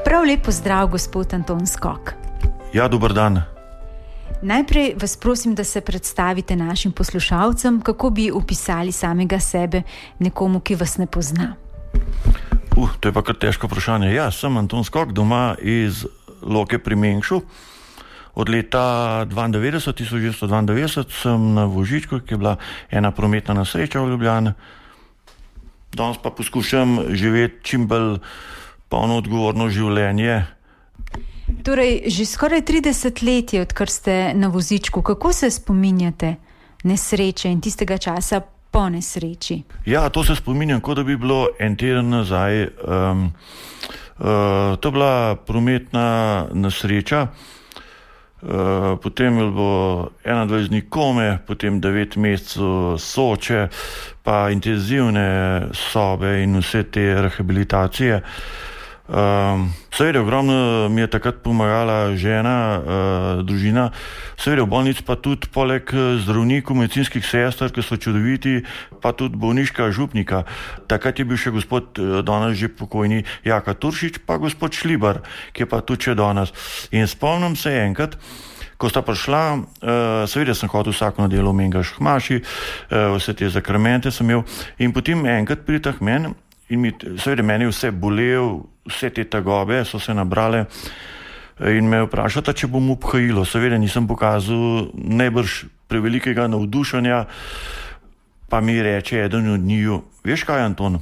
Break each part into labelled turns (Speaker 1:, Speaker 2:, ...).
Speaker 1: Prav lep pozdrav, gospod Anton Skok.
Speaker 2: Ja, dober dan.
Speaker 1: Najprej vas prosim, da se predstavite našim poslušalcem, kako bi opisali samega sebe nekomu, ki vas ne pozna.
Speaker 2: To je pa kar težko vprašanje. Ja, sem Anton Skok, doma iz Loke pri Mengšu. Od leta 1992 sem na vozičku, ki je bila ena prometna nesreča v Ljubljani. Danes pa poskušam živeti čim bolj polno odgovorno življenje.
Speaker 1: Torej, že skoraj 30 let je, odkar ste na vozičku. Kako se spominjate nesreče in tistega časa po nesreči?
Speaker 2: Ja, to se spominjam, kot da bi bilo en teden nazaj. To je bila prometna nesreča. Potem je bilo 21 dni kome, potem 9 mesecev Soče, pa intenzivne sobe in vse te rehabilitacije. Seveda, ogromno mi je takrat pomagala žena, družina, seveda v bolnici pa tudi poleg zdravnikov, medicinskih sester, ki so čudoviti, pa tudi bolniška župnika. Takrat je bil še gospod danes že pokojni Jaka Turšič, pa gospod Šlibar, ki je pa tudi še danes. In spomnim se enkrat, ko sta prišla, seveda sem hodil vsako nedelo v Mengeš k maši, vse te zakramente sem imel, in potem enkrat pridete k meni in seveda meni vse bolel, vse te tegobe so se nabrale in me vprašata, če bom obhajilo. Seveda nisem pokazal najbrž prevelikega navdušenja, pa mi reče eden od njiju: veš kaj, Anton,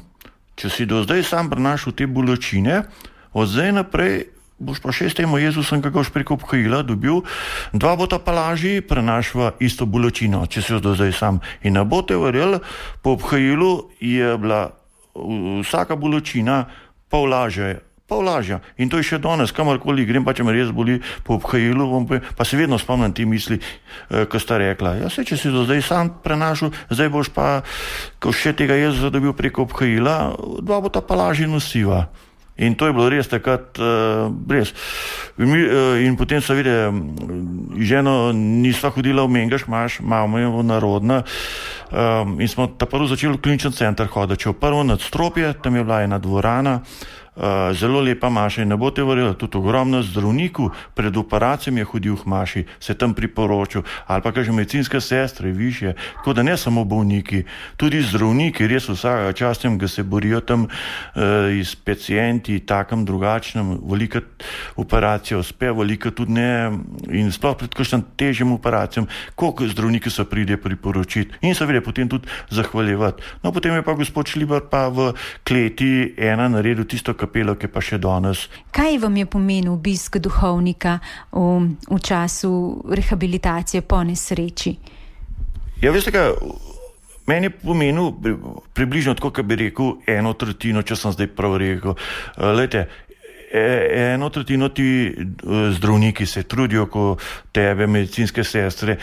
Speaker 2: če si do zdaj sam prenašal te bolečine, od zdaj naprej boš pa še s tem Jezusom, ki ga boš preko obhajila dobil, dva bota pa lažji prenašva isto bolečino, če si jo do zdaj sam. In ne boste verjeli, po obhajilu je bila vsaka bolečina pol lažja. In to je še danes, kamorkoli grem, pa če me res boli po obhajilu, pa se vedno spomnim te misli, ko sta rekla: ja, če si do zdaj sam prenašal, zdaj boš pa, ko še tega Jezusa dobil preko obhajila, dva bota pa lažje nosiva. In to je bilo res takrat res. In potem seveda ženo nisva hodila v Mengeš, mama je narodna, in smo ta prvo začeli v klinični center hoditi. Če v prvo nadstropje, tam je bila ena dvorana, zelo lepa maša, in ne boste verjeli, tudi ogromno zdravnikov pred operacijami je hodil v maši, se tam priporočil, ali pa kaže medicinske sestre višje, tako da ne samo bolniki, tudi zdravniki, res vsakega časa, ki se borijo tam s pacienti, takem drugačnem, velika operacija uspe, velika tudi ne, in sploh pred kakšnim težjim operacijam, koliko zdravniki se pride priporočiti in seveda potem tudi zahvaljevati. No, potem je pa gospod Šlibar pa v kleti ena naredil tisto kapelo, ki pa še danes.
Speaker 1: Kaj vam je pomenil obisk duhovnika v času rehabilitacije po nesreči? Ja,
Speaker 2: veste kaj, meni je pomenil približno tako, kot bi rekel, 1/3, če sem zdaj prav rekel. Glejte, 1/3 ti zdravniki se trudijo, ko tebe, medicinske sestre,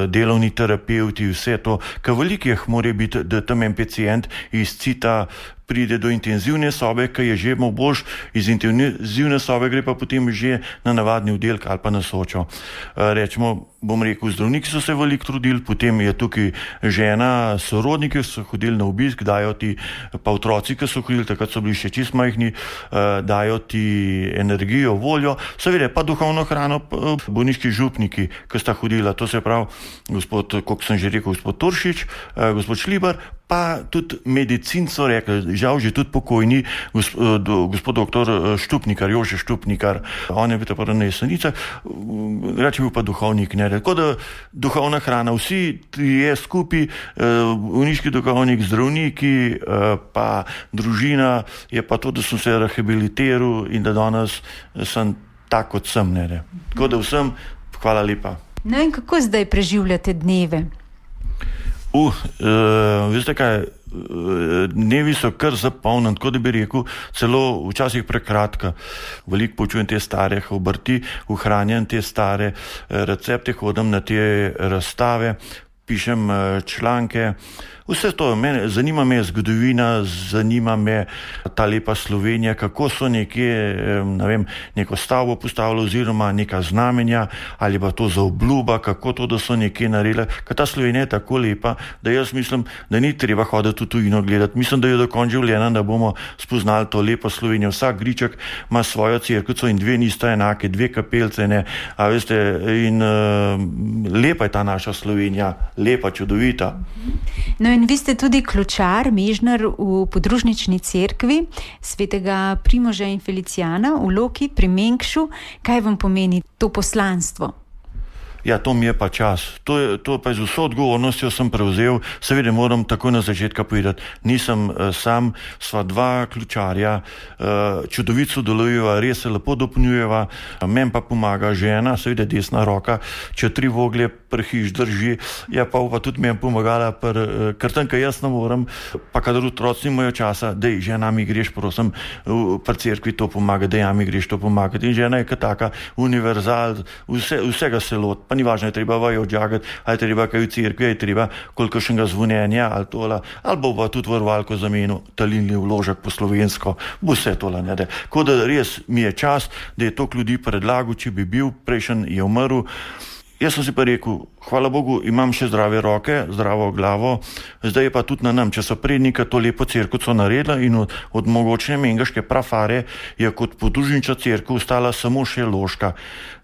Speaker 2: delovni terapeuti, vse to, ker veliko jih mora biti, da tam en pacient izcita, pride do intenzivne sobe, ki je že boljš, iz intenzivne sobe gre pa potem že na navadni oddelek ali pa na Sočo. Rečemo, bom rekel, zdravniki so se veliko trudili, potem je tukaj žena, sorodniki so hodili na obisk, dajo ti, pa otroci, ki so hodili, takrat so bili še čist majhni, dajo ti energijo, voljo, seveda pa duhovno hrano, bolniški župniki, ki sta hodila, to se pravi gospod, kot sem že rekel, gospod Turšič, gospod Šlibar, pa tudi medicinco rekli, žal že tudi pokojni gospod doktor Štupnikar, Jože Štupnikar, on je bil pa na Jesenicah, reče bil pa duhovnik, ne, tako da duhovna hrana, vsi je skupaj, bolniški duhovnik, zdravniki, pa družina, je pa to, da sem se rehabilitiral in da danes sem tak, kot sem, ne. Tako da vsem hvala lepa.
Speaker 1: No in kako zdaj preživljate dneve?
Speaker 2: Veste kaj, dnevi so kar zapolnjeni, tako da bi rekel, celo včasih prekratka. Veliko počujem te stare obrti, ohranjam te stare recepte, hodim na te razstave, pišem članke. Vse to, zanima me zgodovina, zanima me ta lepa Slovenija, kako so neko stavbo postavili oziroma neka znamenja ali pa to za obljuba, kako to, da so nekje naredili. Ker ta Slovenija je tako lepa, da jaz mislim, da ni treba hoditi v tujino gledati. Mislim, da je do konca življenja, da bomo spoznali to lepo Slovenijo. Vsak griček ima svojo cerkvico in dve nista enake, dve kapelce, ne. A veste, in lepa je ta naša Slovenija, lepa, čudovita.
Speaker 1: No in vi ste tudi ključar, mežnar v podružnični cerkvi svetega Primoža in Felicijana v Loki pri Mengšu. Kaj vam pomeni to poslanstvo?
Speaker 2: Ja, to mi je pa čas. To pa z vso odgovornostjo sem prevzel. Seveda moram takoj na začetka povedati. Nisem sam, sva dva ključarja, čudovito sodelujeva, res se lepo dopolnjujeva. Meni pa pomaga žena, seveda desna roka, če 3 voglje prhiš drži, ja pa tudi meni pomagala, ker tam, kaj jaz ne morem, pa kadar otroci nimajo časa, dej, žena mi greš, prosim, pri cerkvi to pomaga, dej, mi greš to pomagati. In žena je kot taka univerzal, vsega se lot. Pa ni važno, je treba vajo odžagati, ali je treba kaj v cerkvi, je treba kolikšnega zvonjenja, ali tola, ali bo pa tudi varovalko zamenil, talilni vložek po slovensko, bo vse tola, ne da. Ko da res mi je čas, da je toliko ljudi predlagal, če bi bil, prejšen je umrl. Jaz sem si pa rekel, hvala Bogu, imam še zdrave roke, zdravo glavo, zdaj je pa tudi na nam, če so prednika to lepo cerkvico naredila in od mogočne mengaške prafare je kot podružnična cerkev ostala samo še Loška.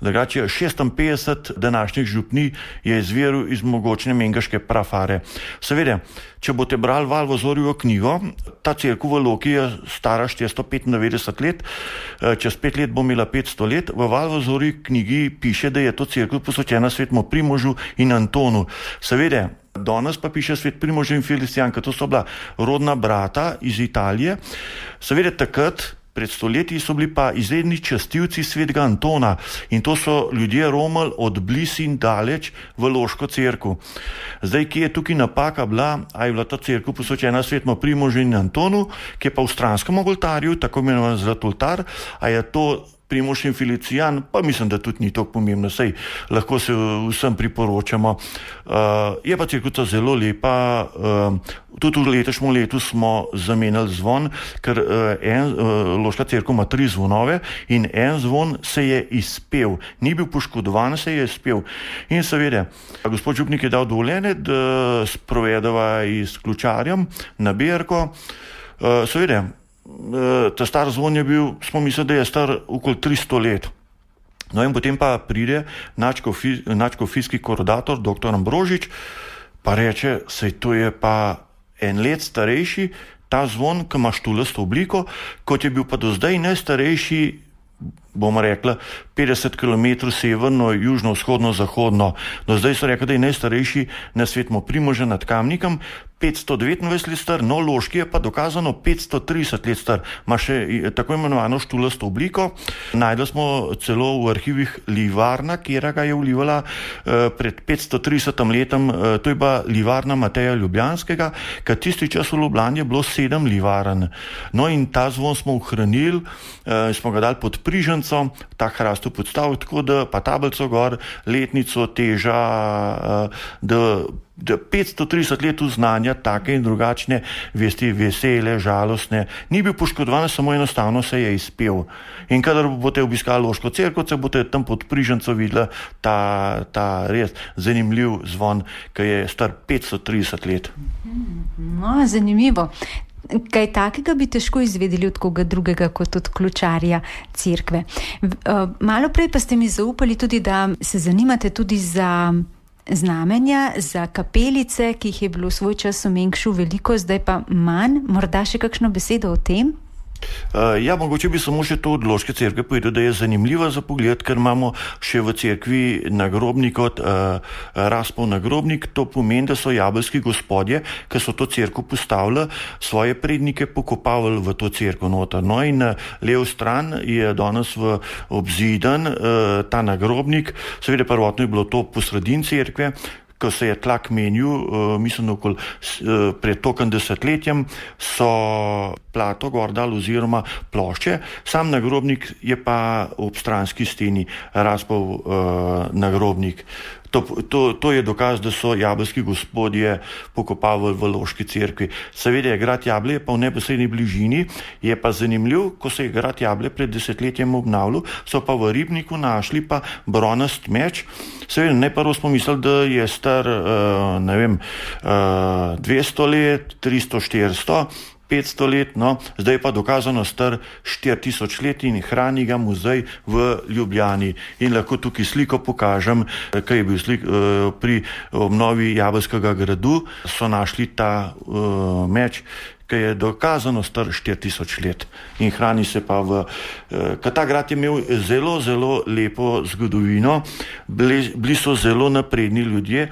Speaker 2: Drugače 56 današnjih župni je izviril iz mogočne mengaške prafare. Seveda, če boste brali Valvozorjevo knjigo, ta cerkev v Loki je stara 495 let, čez 5 let bo imela 500 let. V Valvozorjevi knjigi piše, da je to cerkev posvečena svetemu Primožu in Antonu. Seveda, danes pa piše svet Primož in Felicijan, ker to so bila rodna brata iz Italije. Seveda takrat, pred stoletji, so bili pa izredni častilci svetega Antona in to so ljudje romali od blizu in daleč v Loško cerkev. Zdaj, kje je tukaj napaka bila, a je bila ta cerkev posvečena svetemu Primožu in Antonu, ki je pa v stranskem oltarju, tako imenovan zlat oltar, a je to Primož in Felicijan, pa mislim, da tudi ni tako pomembno, saj lahko se vsem priporočamo. Je pa cerkvica zelo lepa, tudi v letošnjem letu smo zamenjali zvon, ker Loška cerkev ima 3 zvonove in en zvon se je izpel, ni bil poškodovan, se je izpel. In seveda, gospod župnik je dal dovoljenje, da sprovedava s ključarjem na Berko. Seveda, ta star zvon je bil, smo mislili, da je star okoli 300 let. No in potem pa pride nadškofijski koordinator, dr. Ambrožič, pa reče, sej to je pa 1 let starejši, ta zvon, ki ima štulasto obliko, kot je bil pa do zdaj najstarejši, bomo rekla, 50 km severno, južno, vzhodno, zahodno. Do zdaj so rekli, da je najstarejši na svetu Primoža nad Kamnikom, 529 let star, no Loški je pa dokazano 530 let star. Ma še tako imenovano štulasto obliko. Najdli smo celo v arhivih livarna, kjera ga je vlivala pred 530 letom, to je bila livarna Mateja Ljubljanskega, ker tisti čas v Ljubljani je bilo 7 livarn. No in ta zvon smo ohranili, smo ga dali pod Prižanco, ta hrast podstavil, tako da pa tablico gor, letnico, teža, da 530 let znanja, take in drugačne vesti, vesele, žalostne, ni bil poškodovan, samo enostavno se je izpel. In kadar boste obiskali Loško cerkev, boste tam pod Prižanco videli ta res zanimiv zvon, ki je star 530 let.
Speaker 1: No, zanimivo. Kaj takega bi težko izvedeli od koga drugega kot od ključarja cerkve. Malo prej pa ste mi zaupali tudi, da se zanimate tudi za znamenja, za kapelice, ki jih je bilo v svoj čas v Mengšu veliko, zdaj pa manj. Morda še kakšno besedo o tem?
Speaker 2: Ja, mogoče bi samo še to od Loške cerkve povedal, da je zanimiva za pogled, ker imamo še v cerkvi nagrobnik od Raspov nagrobnik. To pomeni, da so jabelski gospodje, ki so to cerkev postavili, svoje prednike pokopavali v to cerkev noter. No in na levo stran je danes v obzidan ta nagrobnik. Seveda prvotno je bilo to po sredini cerkve, ko se je tlak menil, mislim, okoli pred tokem desetletjem, so plato gor dali oziroma plošče. Sam nagrobnik je pa ob stranski steni Raspov nagrobnik. To je dokaz, da so jabelski gospodje pokopavali v Loški cerkvi. Seveda je grad Jablje pa v neposredni bližini, je pa zanimiv, ko se je grad Jablje pred desetletjem obnavljal, so pa v ribniku našli pa bronast meč. Seveda, najprvo smo mislili, da je star, 200 let, 300, 400, 500 let, no, zdaj pa dokazano star 4000 let in hrani ga muzej v Ljubljani. In lahko tukaj sliko pokažem, kaj je bil pri obnovi Jabelskega gradu, so našli ta meč, ki je dokazano star 4000 let in hrani se pa ta grad je imel zelo, zelo lepo zgodovino, bili so zelo napredni ljudje,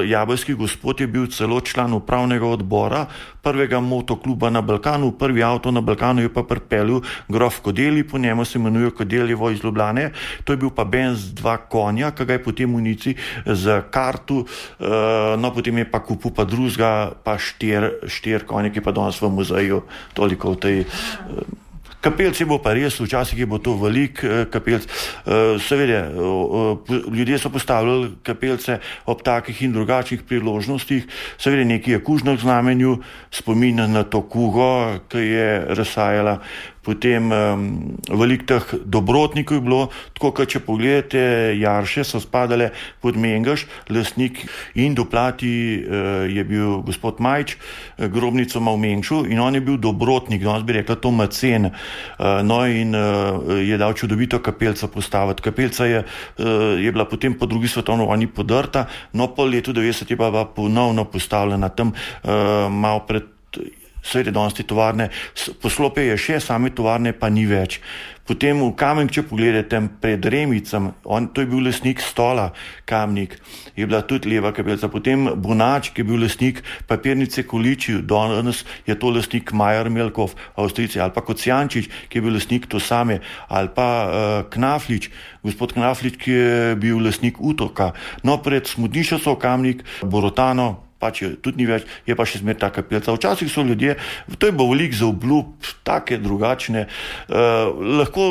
Speaker 2: jabelski gospod je bil celo član upravnega odbora prvega motokluba na Balkanu, prvi avto na Balkanu je pa pripeljal grof Kodeli, po njemu se imenuje Kodeljevo iz Ljubljane, to je bil pa Benz 2 konja, ki ga je potem v Nici za kartu, no potem je pa kupil pa drugega, pa 4 konje, ki pa danes v muzeju, toliko v tej kapelci bo pa res, včasih je bo to velik kapelc. Seveda, ljudje so postavljali kapelce ob takih in drugačnih priložnostih, seveda nekaj je kužno k znamenju, spomin na to kugo, ki je razsajala. Potem veliko teh dobrotnikov je bilo, tako kot če pogledate, jarše so spadale pod Mengeš, lastnik in doplati je bil gospod Majč, grobnico ima v Mengšu in on je bil dobrotnik, danes bi rekla to macen, no in je dal čudovito kapelco postaviti. Kapelca je bila potem po drugi svetovni vojni podrta, no po letu 90 je pa ponovno postavljena tam malo pred seveda danes te tovarne, poslopje je še, same tovarne pa ni več. Potem v Kamen, če pogledate pred Remicem, to je bil lastnik Stola, Kamnik, je bila tudi leva kapelca. Potem Bonač, ki je bil lastnik papirnice Količi, danes je to lastnik Majer Melkov, Avstrijci, ali pa Kocijančič, ki je bil lastnik to same, ali pa Knaflič, gospod Knaflič, ki je bil lastnik Utoka. No, pred Smodnišnico Kamnik, Borotano, pač tudi ni več, je pa še zmer ta kapelca. Včasih so ljudje, to je bo veliko za obljub, take drugačne. Lahko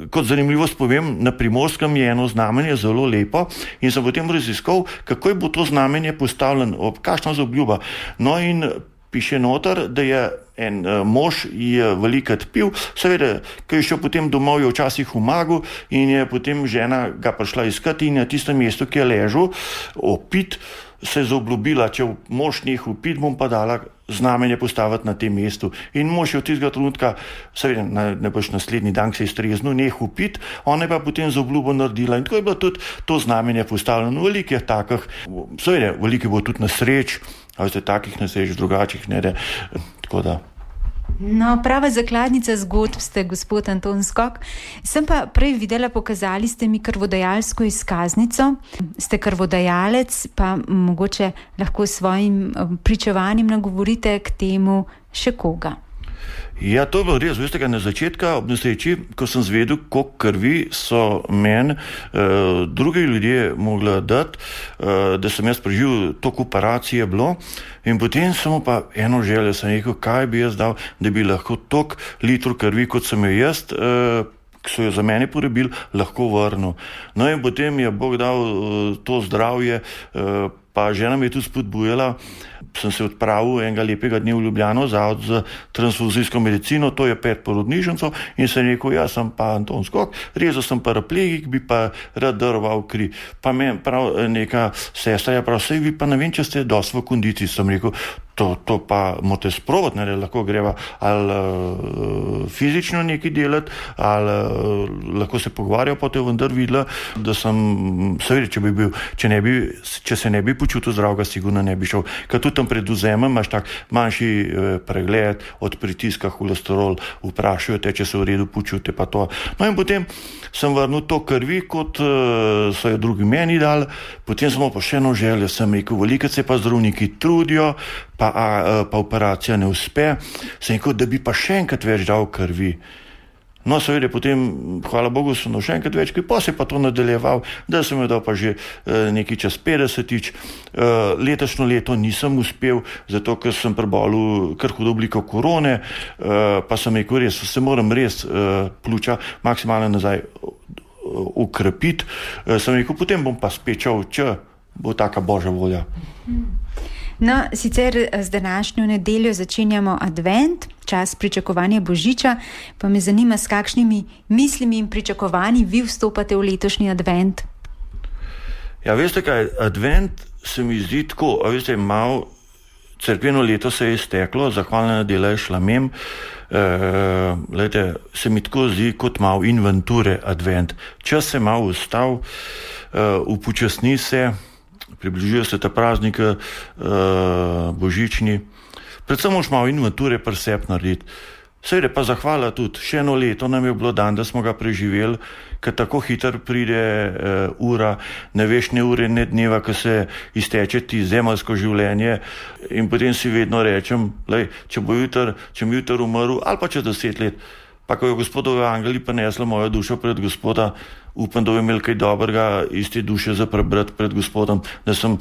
Speaker 2: kot zanimivost povem, na Primorskem je eno znamenje zelo lepo in sem potem raziskal, kako je bo to znamenje postavljeno, kakšna za obljuba. No in piše noter, da je en mož je velikrat pil, seveda, ko je šel potem domov, je včasih umagal in je potem žena ga prišla iskati in na tistem mestu, ki je ležal, opit, se je zaobljubila, če mož nehal pit, bom pa dala znamenje postaviti na tem mestu. In mož je od tistega trenutka, seveda, najbrž naslednji dan se je streznil, nehal pit, ona je pa potem zaobljubo naredila in tako je bilo tudi to znamenje postavljeno. Veliko je takih, seveda, veliko bo tudi nesreč, ali ste takih nesreč, drugačnih, ne, tako da.
Speaker 1: No, prava zakladnica zgodb ste, gospod Anton Skok. Sem pa prej videla, pokazali ste mi krvodajalsko izkaznico. Ste krvodajalec, pa mogoče lahko s svojim pričevanjem nagovorite k temu še koga.
Speaker 2: Ja, to je bilo res, veste, na začetku ob nesreči, ko sem zvedel, koliko krvi so meni drugi ljudje mogli dati, da sem jaz preživel, toliko operacije bilo in potem sem pa eno željo, sem rekel, kaj bi jaz dal, da bi lahko toliko litrov krvi, kot sem jo jaz, ki so jo za mene porabili, lahko vrnil. No in potem je Bog dal to zdravje, pa žena me je tudi spodbujala, sem se odpravil enega lepega dne v Ljubljano, Zavod za transfuzijsko medicino, to je pred porodnišnico in sem rekel, jaz sem pa Anton Skok, rezal sem paraplegik, bi pa rad daroval kri. Pa me prav neka sestra je prav, sej vi pa ne vem, če ste dosti v kondiciji, sem rekel, to pa morate sprobati, ne, lahko greva ali fizično nekaj delati, ali lahko se pogovarjal, pa te vendar videla, da sem, seveda, če se ne bi počutil zdravega, sigurno ne bi šel, ker tudi tam pred vzemom imaš tak manjši pregled od pritiska, holesterol, vprašajo te, če se v redu počute, pa to. No in potem sem vrnil to krvi, kot so jo drugi meni dali, potem smo pa še eno željo, sem rekel, veliko se pa zdravniki trudijo, pa operacija ne uspe, sem rekel, da bi pa še enkrat več dal krvi. No, seveda, potem, hvala Bogu, sem še enkrat več, pa se pa to nadaljeval, da sem jo dal pa že nekaj čas 50-tič. Letošnjo leto nisem uspel, zato ker sem prebolel kar hudo obliko korone, pa sem rekel, res, se moram res pljuča maksimalno nazaj ukrepiti. Sem rekel, potem bom pa spečal, če bo taka božja volja.
Speaker 1: No, sicer z današnjo nedeljo začenjamo advent, čas pričakovanja Božiča, pa me zanima, s kakšnimi mislimi in pričakovanji vi vstopate v letošnji advent.
Speaker 2: Ja, veste kaj, advent se mi zdi tako, veste, malo cerkveno leto se je izteklo, zahvalna nedela je šla mem, se mi tako zdi kot malo inventure advent. Čas se malo ustav, upočasni se, približuje se ta praznik božični, predvsem moš malo inventure pri sebi narediti. Seveda pa zahvala tudi, še eno leto nam je bilo dan, da smo ga preživeli, ker tako hitro pride ura, ne veš ne ure, ne dneva, ko se izteče ti zemeljsko življenje in potem si vedno rečem, če mi jutri umrl ali pa čez 10 let, pa ko je Gospodove angeli prinesla mojo dušo pred Gospoda, upam, da bo imel kaj dobrega iz te duše za prebrati pred Gospodom, da sem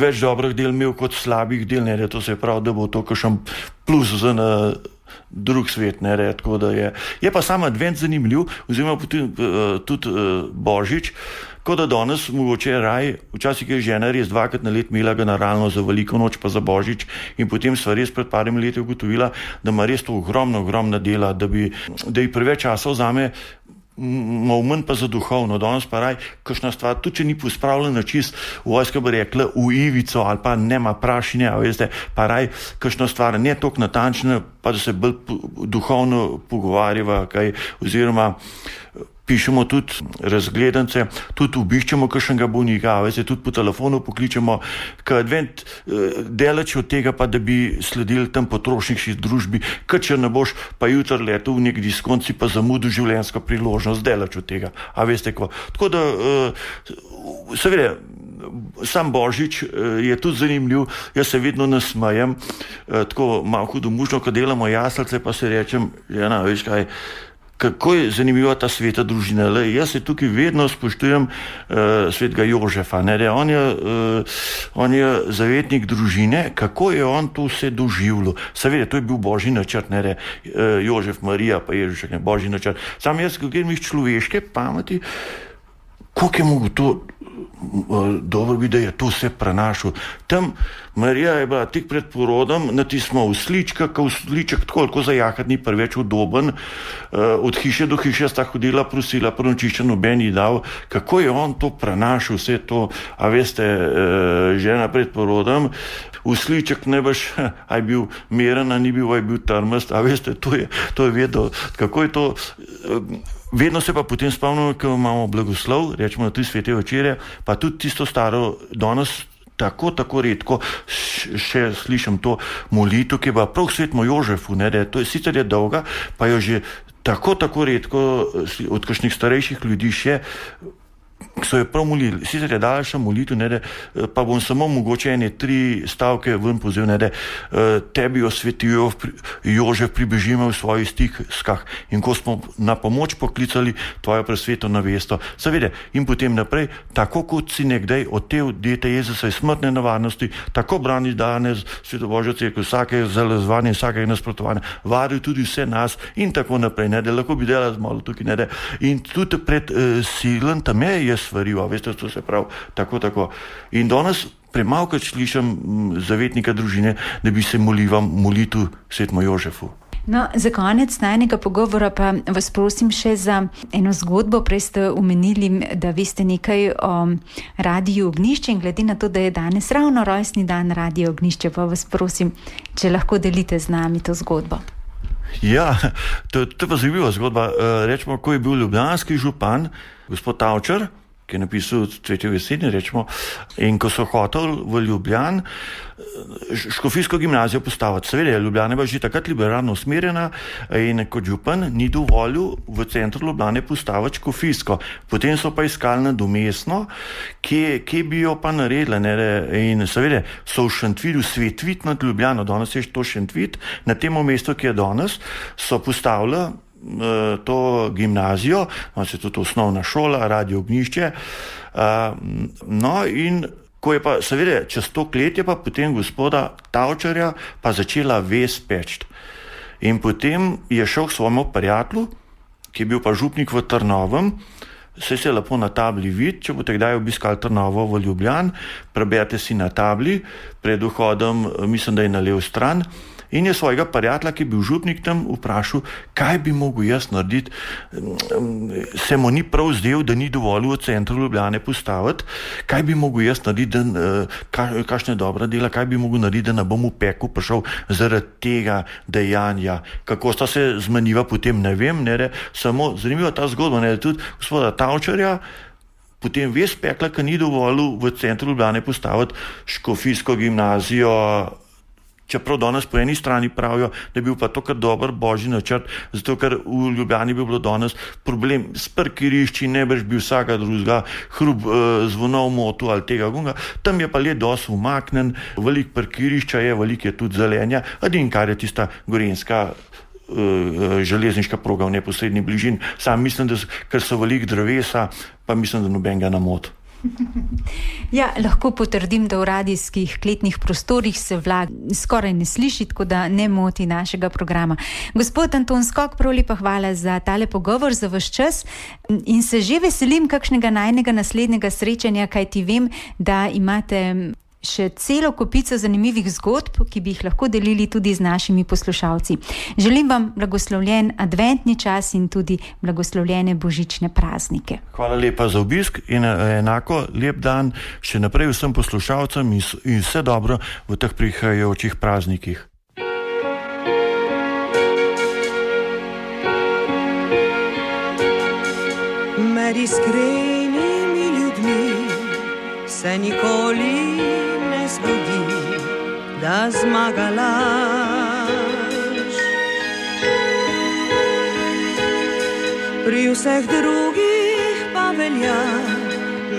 Speaker 2: več dobrih del imel kot slabih del, ne, da to se pravi, da bo to kakšen plus za na drug svet, ne, tako da je. Je pa sam advent zanimiv, oziroma tudi Božič, kot da danes mogoče raj, včasih je žena res 2krat na let imela generalno za veliko noč pa za Božič in potem sva res pred parimi leti ugotovila, da ima res to ogromna dela, da ji preveč časa vzame, malo manj pa za duhovno, danes pa raj, kakšna stvar, tudi če ni pospravljena čist, vojska bi rekla v ivico ali pa nema prašine, veste, pa raj, kakšna stvar ne toliko natančna, pa da se bolj duhovno pogovarjava, kaj, oziroma pišemo tudi razgledance, tudi obiščemo kakšnega bolnika, veste, tudi po telefonu pokličemo, ker advent daleč od tega pa, da bi sledili tam potrošniški družbi, ker če ne boš pa jutri letel v nek diskont, si pa zamudil življenjsko priložnost, daleč od tega, a veste ko. Tako da, seveda, sam Božič je tudi zanimiv, jaz se vedno nasmejem, tako malo hudomušno, ko delamo jaslice, pa se rečem, žena, veš kaj, kako je zanimiva ta sveta družina. Jaz se tukaj vedno spoštujem svetega Jožefa. Ne, on je zavetnik družine, kako je on to vse doživljal. Seveda, to je bil božji načrt, ne, Jožef, Marija, pa Ježušek, ne, božji načrt. Sam jaz, kako grem iz človeške pameti, koliko je mogo to dobro bi, da je to vse prenašal. Tam Marija je bila tik pred porodom, natismo uslička, ko usliček tako zajahati ni preveč udoben, od hiše do hiše sta hodila, prosila, prenočišče noben ji dal, kako je on to prenašal, vse to, a veste, žena pred porodom, usliček ne boš, aj bil meren, a ni bil, aj bil trmast, a veste, to je vedno, kako je to. Vedno se pa potem spomnimo, ko imamo blagoslov, rečemo na 3 svete večere, pa tudi tisto staro, danes tako redko še slišim to molitev, ki je pa prav svetmo Jožefu, ne, da to je sicer je dolga, pa jo že tako redko od kakšnih starejših ljudi še, so jo prav molili, sicer je daljša molitev, ne, pa bom samo mogoče 3 stavke ven povzel, ne, tebi osvetijo Jožef, pribežimo v svojih stiskah in ko smo na pomoč poklicali tvojo presveto navesto, seveda, in potem naprej, tako kot si nekdaj od te dete Jezusa iz smrtne nevarnosti, tako brani danes Sveto Božjo cerkev, vsake zalezvanje, vsakega nasprotovanja, varil tudi vse nas in tako naprej, ne, lahko bi delali malo tukaj, ne, in tudi pred silen tam je svaril, veste, to se pravi tako. In danes premalkrat slišim zavetnika družine, da bi se molitev svetmu Jožefu.
Speaker 1: No, za konec najnega pogovora pa vas prosim še za eno zgodbo. Prej ste omenili, da veste nekaj o Radiu Ognjišče in glede na to, da je danes ravno rojstni dan Radia Ognjišče, pa vas prosim, če lahko delite z nami to zgodbo.
Speaker 2: Ja, to je pa zanimiva zgodba. Rečemo, ko je bil ljubljanski župan, gospod Tavčar, ki je napisal Cvetje v jeseni, rečemo, in ko so hoteli v Ljubljan škofijsko gimnazijo postaviti. Seveda, Ljubljana je bila že takrat liberalno usmerjena in kot župan ni dovolil v centru Ljubljane postaviti škofijsko. Potem so pa iskali nadomestno, kje bi jo pa naredili. In seveda so v Šentvidu Svetvit nad Ljubljano, danes je to Šentvit, na tem mestu, ki je danes, so postavili to gimnazijo, se tudi osnovna šola, Radio Ognjišče. No in ko je pa, seveda, čez 100 let je pa potem gospoda Tavčarja pa začela ves peči. In potem je šel k svojemu prijatelju, ki je bil pa župnik v Trnovem, Saj se lepo na tabli vidi, če boste kdaj obiskali Trnovo v Ljubljani, preberite si na tabli, pred vhodom, mislim, da je na levo stran, in je svojega prijatelja, ki je bil župnik tam, vprašal, kaj bi mogel jaz narediti. Se mu ni prav zdel, da ni dovolj v centru Ljubljane postaviti, kaj bi mogel jaz narediti, kakšne dobra dela, kaj bi mogel narediti, da ne bom v peku prišel zaradi tega dejanja. Kako sta se zmeniva potem, ne vem, samo zanimiva ta zgodba, tudi gospoda Tavčarja, potem ves pekla, ki ni dovolj v centru Ljubljane postaviti škofijsko gimnazijo, čeprav danes po eni strani pravijo, da je bil pa to kar dober božji načrt, zato ker v Ljubljani bi bilo danes problem s parkirišči, nebrž bi vsaka drugega hrup zvonov motu ali tega gunga. Tam je pa le dosti umaknen, veliko parkirišča je, veliko je tudi zelenja, edin kar je tista gorenjska železniška proga v neposredni bližini. Sam mislim, da ker so veliko drevesa, pa mislim, da nobenega ne moti.
Speaker 1: Ja, lahko potrdim, da v radijskih kletnih prostorih se vlak skoraj ne sliši, tako da ne moti našega programa. Gospod Anton Skok, prav lepa hvala za tale pogovor, za vaš čas in se že veselim kakšnega najnega naslednjega srečanja, kajti vem, da imate še celo kopico zanimivih zgodb, ki bi jih lahko delili tudi z našimi poslušalci. Želim vam blagoslovljen adventni čas in tudi blagoslovljene božične praznike.
Speaker 2: Hvala lepa za obisk in enako lep dan še naprej vsem poslušalcem in vse dobro v teh prihajajočih praznikih.
Speaker 3: Med iskrenimi ljudmi se nikoli zgodi, da zmaga laž. Pri vseh drugih pa velja,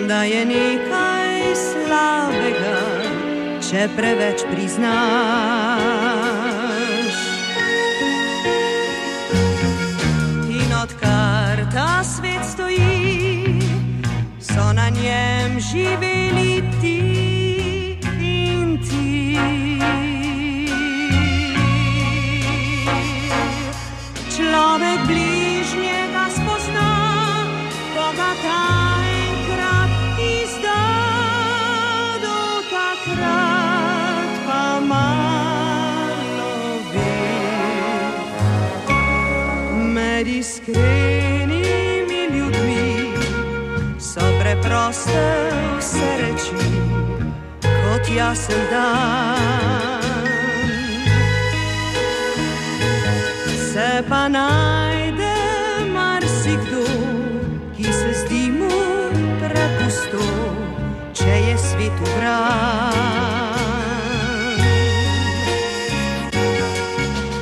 Speaker 3: da je nekaj slabega, če preveč priznaš. In odkar ta svet stoji, so na njem živeli ti. Človek bližnjega spozna, ko ga ta enkrat izda, do takrat pa malo ve. Med iskrenimi ljudmi so preproste vse reči, kot jasen dan. Se pa najde marsikdo, ki se zdi mu prepusto, če je svet ugran.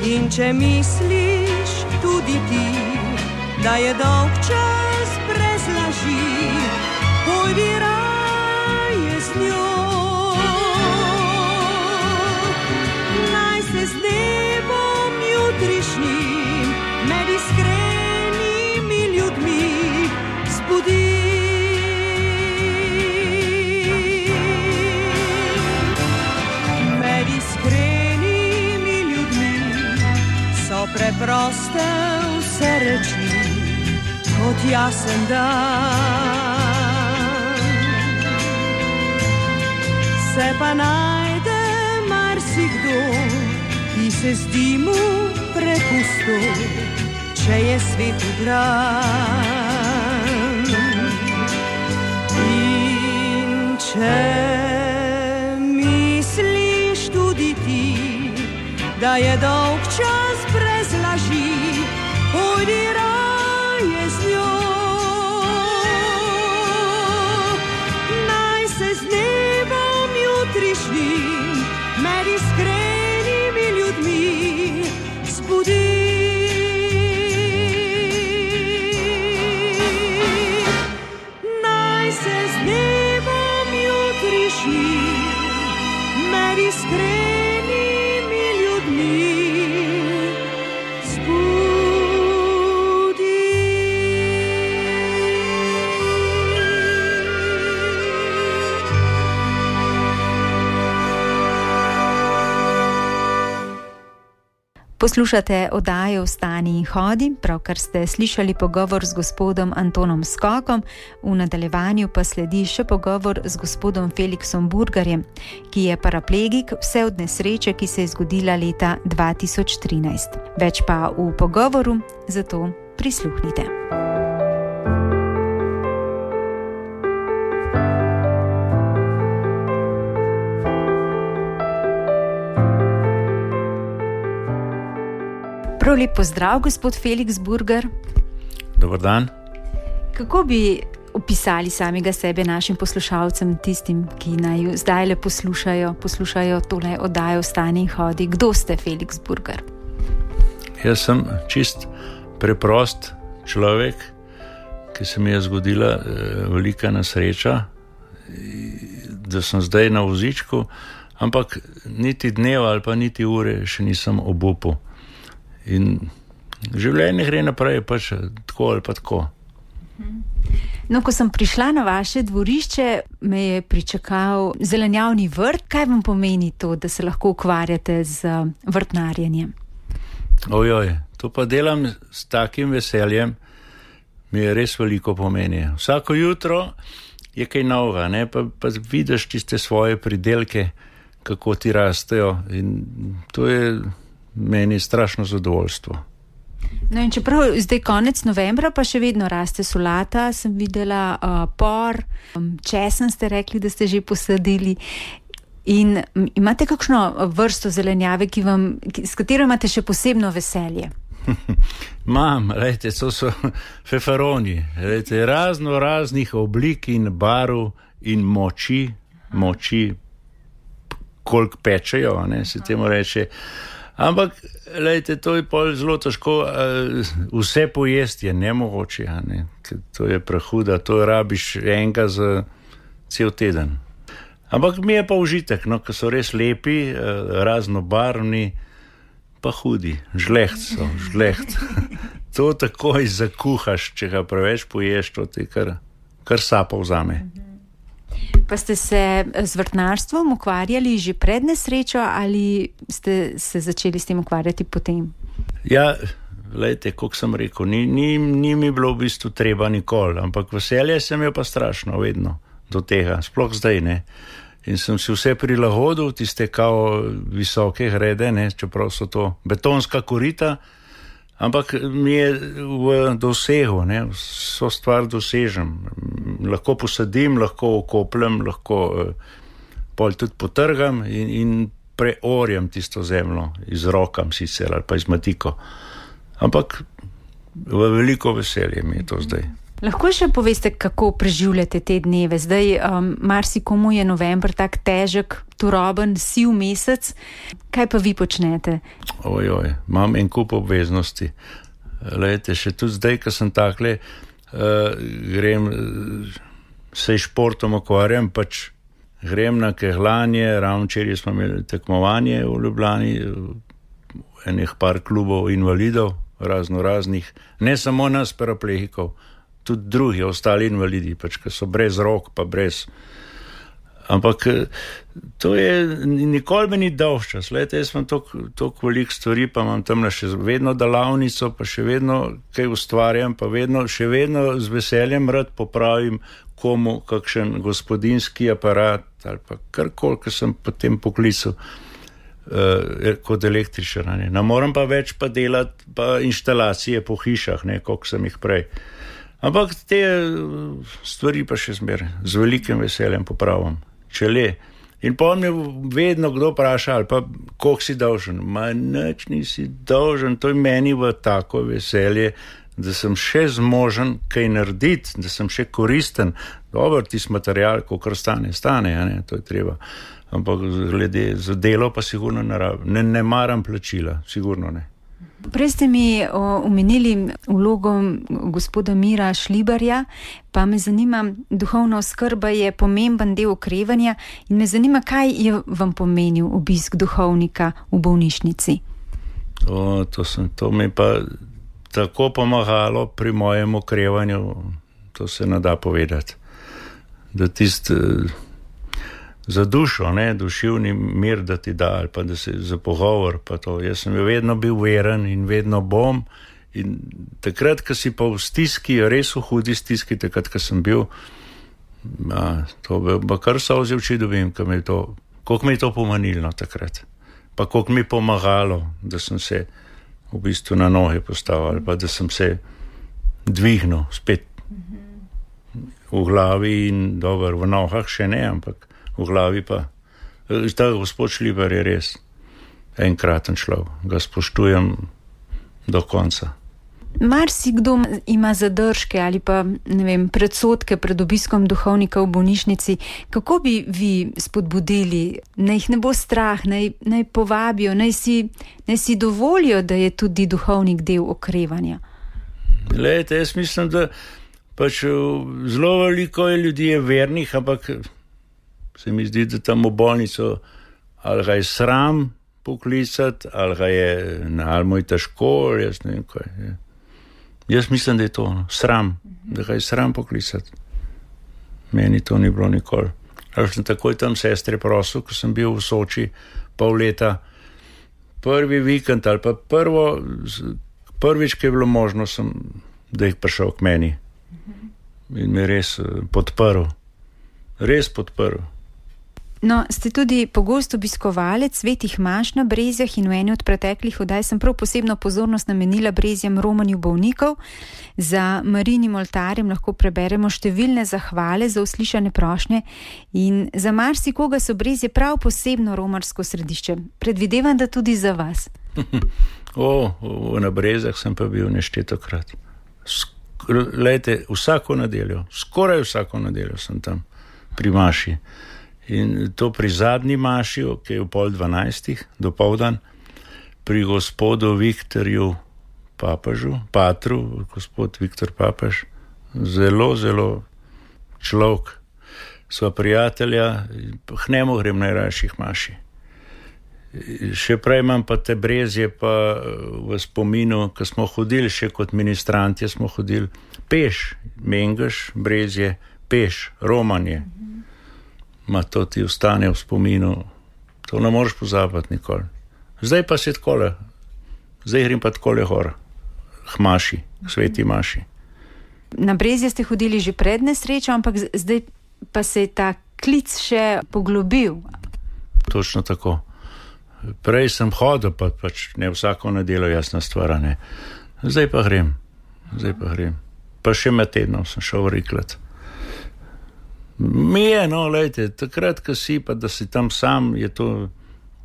Speaker 3: In če misliš tudi ti, da je dolg čas brez laži, pojdi raje z njo. Naj se z dnevom jutrišnjim med iskrenimi ljudmi zbudi. Med iskrenimi ljudmi so preproste vse reči, kot jasen dan. Se pa najde marsikdo, ki se zdi mu prepusto, če je svet ugran. In če misliš tudi ti, da je dolg čas brez laži, pojdi raje z njo. Naj se z dnevom jutrišnjim med iskrenimi ljudmi zbudi. Naj se z dnevom jutrišnjim med iskrenimi ljudmi
Speaker 1: Poslušate oddajo Vstani in hodi, pravkar ste slišali pogovor z gospodom Antonom Skokom, v nadaljevanju pa sledi še pogovor z gospodom Felixom Burgerjem, ki je paraplegik vse od nesreče, ki se je zgodila leta 2013. Več pa v pogovoru, zato prisluhnite. Prav lep pozdrav, gospod Felix Burger.
Speaker 4: Dobar dan.
Speaker 1: Kako bi opisali samega sebe našim poslušalcem, tistim, ki naj zdaj le poslušajo tole oddajo Vstani in hodi? Kdo ste, Felix Burger?
Speaker 4: Jaz sem čist preprost človek, ki se mi je zgodila velika nesreča, da sem zdaj na vozičku, ampak niti dneva ali pa niti ure še nisem obupal. In življenje gre naprej, pač tako ali pa tako.
Speaker 1: No, ko sem prišla na vaše dvorišče, me je pričakal zelenjavni vrt. Kaj vam pomeni to, da se lahko ukvarjate z vrtnarjenjem?
Speaker 4: Ojoj, to pa delam s takim veseljem, mi je res veliko pomeni. Vsako jutro je kaj novega, ne? Pa vidiš tiste svoje pridelke, kako ti rastejo, in to je meni strašno zadovoljstvo.
Speaker 1: No, in čeprav zdaj konec novembra, pa še vedno raste solata, sem videla por, česen ste rekli, da ste že posadili. In imate kakšno vrsto zelenjave, s katero imate še posebno veselje?
Speaker 4: Mam, lejte, to so feferoni, lejte, raznih oblik in barv in moči, koliko pečejo, ne, se temu reče. Ampak, lejte, to je pol zelo težko, vse pojesti je nemogoče, ne? To je prehuda, to rabiš enega za cel teden. Ampak mi je pa užitek, no, ko so res lepi, raznobarvni, pa hudi, žleht. To takoj zakuhaš, če ga preveč poješ, to ti kar sapo vzame.
Speaker 1: Pa ste se z vrtnarstvom ukvarjali že pred nesrečo ali ste se začeli s tem ukvarjati potem?
Speaker 4: Ja, lejte, kot sem rekel, ni mi bilo v bistvu treba nikoli, ampak veselje sem jo pa strašno vedno do tega, sploh zdaj, ne. In sem si vse prilagodil, tiste kao visoke grede, ne, čeprav so to betonska korita, ampak mi je v dosegu, ne, vso stvar dosežem. Lahko posadim, lahko okopljem, lahko pol tudi potrgam in preorjem tisto zemljo, izrokam sicer ali pa izmatiko. Ampak v veliko veselje mi je to zdaj.
Speaker 1: Lahko še poveste, kako preživljate te dneve? Zdaj marsikomu je november tak težek, turoben, siv mesec. Kaj pa vi počnete?
Speaker 4: Ojoj, imam en kup obveznosti. Lejte, še tudi zdaj, ko sem takle, grem, se športom ukvarjam, pač grem na kehljanje, ravno včeraj smo imeli tekmovanje v Ljubljani, enih par klubov invalidov, raznih, ne samo nas paraplegikov, tudi drugi, ostali invalidi, pač, ki so brez rok, pa brez. Ampak to je, nikoli me ni dolžčas. Lejte, jaz imam toliko veliko stvari, pa imam tamle še vedno delavnico, pa še vedno kaj ustvarjam, pa še vedno z veseljem rad popravim komu kakšen gospodinski aparat ali pa karkoli, ki sem potem poklical kot električar. Ne moram pa več pa delati pa inštalacije po hišah, ne, koliko sem jih prej. Ampak te stvari pa še zmeraj z velikim veseljem popravim. Čele. In pa me vedno kdo vpraša, ali pa koliko si dolžen. Ma nič nisi dolžen, to je meni v tako veselje, da sem še zmožen kaj narediti, da sem še koristen. Dobro, tisti material, kolikor stane, ne, to je treba. Ampak glede za delo pa sigurno ne maram plačila, sigurno ne.
Speaker 1: Prej ste mi omenili vlogo gospoda Mira Šlibarja, pa me zanima, duhovna oskrba je pomemben del okrevanja in me zanima, kaj je vam pomenil obisk duhovnika v bolnišnici?
Speaker 4: To mi pa tako pomagalo pri mojem okrevanju, to se ne da povedati. Da za dušo, ne, duševni mir, da ti da, ali pa da se za pogovor, pa to. Jaz sem vedno bil veren in vedno bom. In takrat, ko si pa v stiski, res v hudi stiski, takrat, ko sem bil, to bi kar solze v oči dobim, koliko mi je to pomenilo takrat. Pa koliko mi je pomagalo, da sem se v bistvu na noge postavil, ali pa da sem se dvignil spet v glavi in dober, v nogah še ne, ampak v glavi pa. Ta gospod Šlibar je res enkraten človek, ga spoštujem do konca.
Speaker 1: Marsikdo ima zadržke ali pa, ne vem, predsodke pred obiskom duhovnika v bolnišnici. Kako bi vi spodbudili, naj jih ne bo strah, naj povabijo, naj si dovolijo, da je tudi duhovnik del okrevanja?
Speaker 4: Glejte, jaz mislim, da pač zelo veliko je ljudi vernih, ampak se mi zdi, da tam v bolnico ali ga je sram poklicati, ali ga je, ali mu je težko, jaz ne vem kaj je. Jaz mislim, da je to sram, da ga je sram poklicati. Meni to ni bilo nikoli. Ali sem takoj tam sestre prosil, ko sem bil v Soči pol leta, prvi vikend ali pa prvič, ki je bilo možno, da jih prišel k meni. In me res podprl. Res podprl.
Speaker 1: No, ste tudi pogost obiskovalec svetih maš na Brezjah in v eni od preteklih oddaj sem prav posebno pozornost namenila Brezjem romanju bolnikov. Za Marijinim oltarjem lahko preberemo številne zahvale za uslišane prošnje in za marsikoga so Brezje prav posebno romarsko središče. Predvidevam, da tudi za vas.
Speaker 4: Na Brezjah sem pa bil neštetokrat. Lejte, skoraj vsako nedeljo sem tam pri maši. In to pri zadnji maši, ki je v 11:30 dopoldan, pri gospodu Viktorju Patru, gospod Viktor Papež, zelo, zelo človek, sva prijatelja, k njemu grem najrajših maši. Še prej imam pa te Brezje pa v spominu, ko smo hodili še kot ministrantje, smo hodili peš, Mengeš, Brezje, peš, romanje. To ti ostane v spominu, to ne moreš pozabiti nikoli. Zdaj pa se takole, zdaj grem pa takole gor, k maši, k sveti maši.
Speaker 1: Na Brezje ste hodili že pred nesrečo, ampak zdaj pa se je ta klic še poglobil.
Speaker 4: Točno tako. Prej sem hodil, pač ne vsako nedeljo, jasna stvar, ne. Zdaj pa grem. Pa še med tednom sem šel riklat. Mi je, lejte, takrat, ko si, pa da si tam sam, je to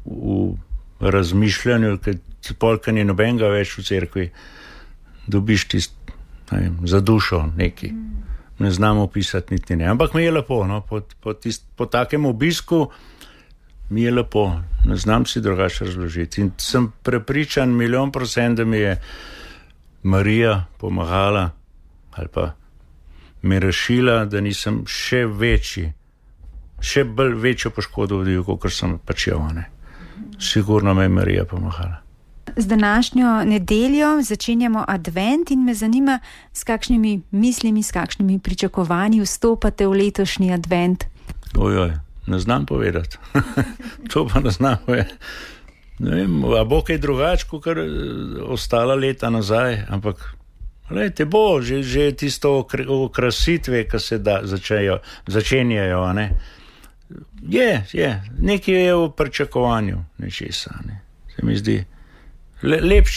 Speaker 4: v razmišljanju, ker ni nobenega več v cerkvi, dobiš tist, za dušo neki. Ne znam opisati niti ne. Ampak mi je lepo, po takem obisku mi je lepo. Ne znam si drugače razložiti. In sem prepričan 100%, da mi je Marija pomagala, ali pa me rešila, da nisem še večjo poškodo vodil, kot sem počel. Sigurno me je Marija pomagala.
Speaker 1: Z današnjo nedeljo začenjamo advent in me zanima, s kakšnimi mislimi, s kakšnimi pričakovanji vstopate v letošnji advent.
Speaker 4: Ne znam povedati. To pa ne znam povedati. Ne vem, a bo kaj drugače, kot ostala leta nazaj, ampak lejte, bo, že tisto okrasitve, ki se začenjajo, ne. Je, nekaj je v pričakovanju nečesa, ne. Se mi zdi, lep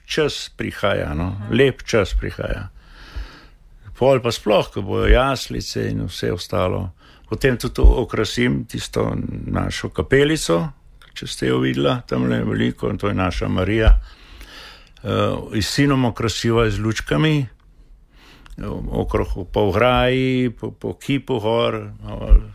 Speaker 4: čas prihaja, lep čas prihaja. Pol pa sploh, ko bojo jaslice in vse ostalo. Potem tudi okrasim tisto našo kapelico, če ste jo videla, tamle veliko, in to je naša Marija. S sinom okrasiva z lučkami, okrog po ograji, po kipu gor,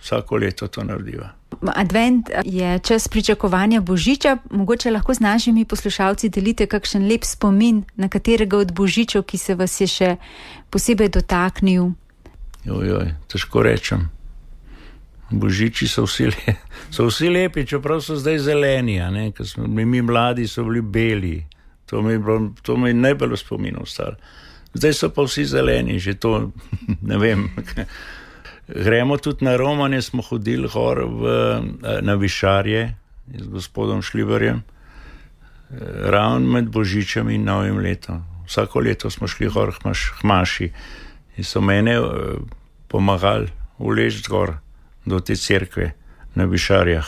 Speaker 4: vsako leto to narediva.
Speaker 1: Advent je čas pričakovanja Božiča, mogoče lahko z našimi poslušalci delite kakšen lep spomin na katerega od Božičev, ki se vas je še posebej dotaknil.
Speaker 4: Težko rečem. Božiči so vsi lepi, čeprav so zdaj zeleni, ker smo mi mladi, so bili beli. To mi je najbolj v spominu ostalo. Zdaj so pa vsi zeleni, že to, ne vem. Gremo tudi na romanje, smo hodili gor na Višarje z gospodom Šliberjem, ravno med Božičem in Novim letom. Vsako leto smo šli gor Hmaši in so mene pomagali uleči gor do te cerkve na Višarjah.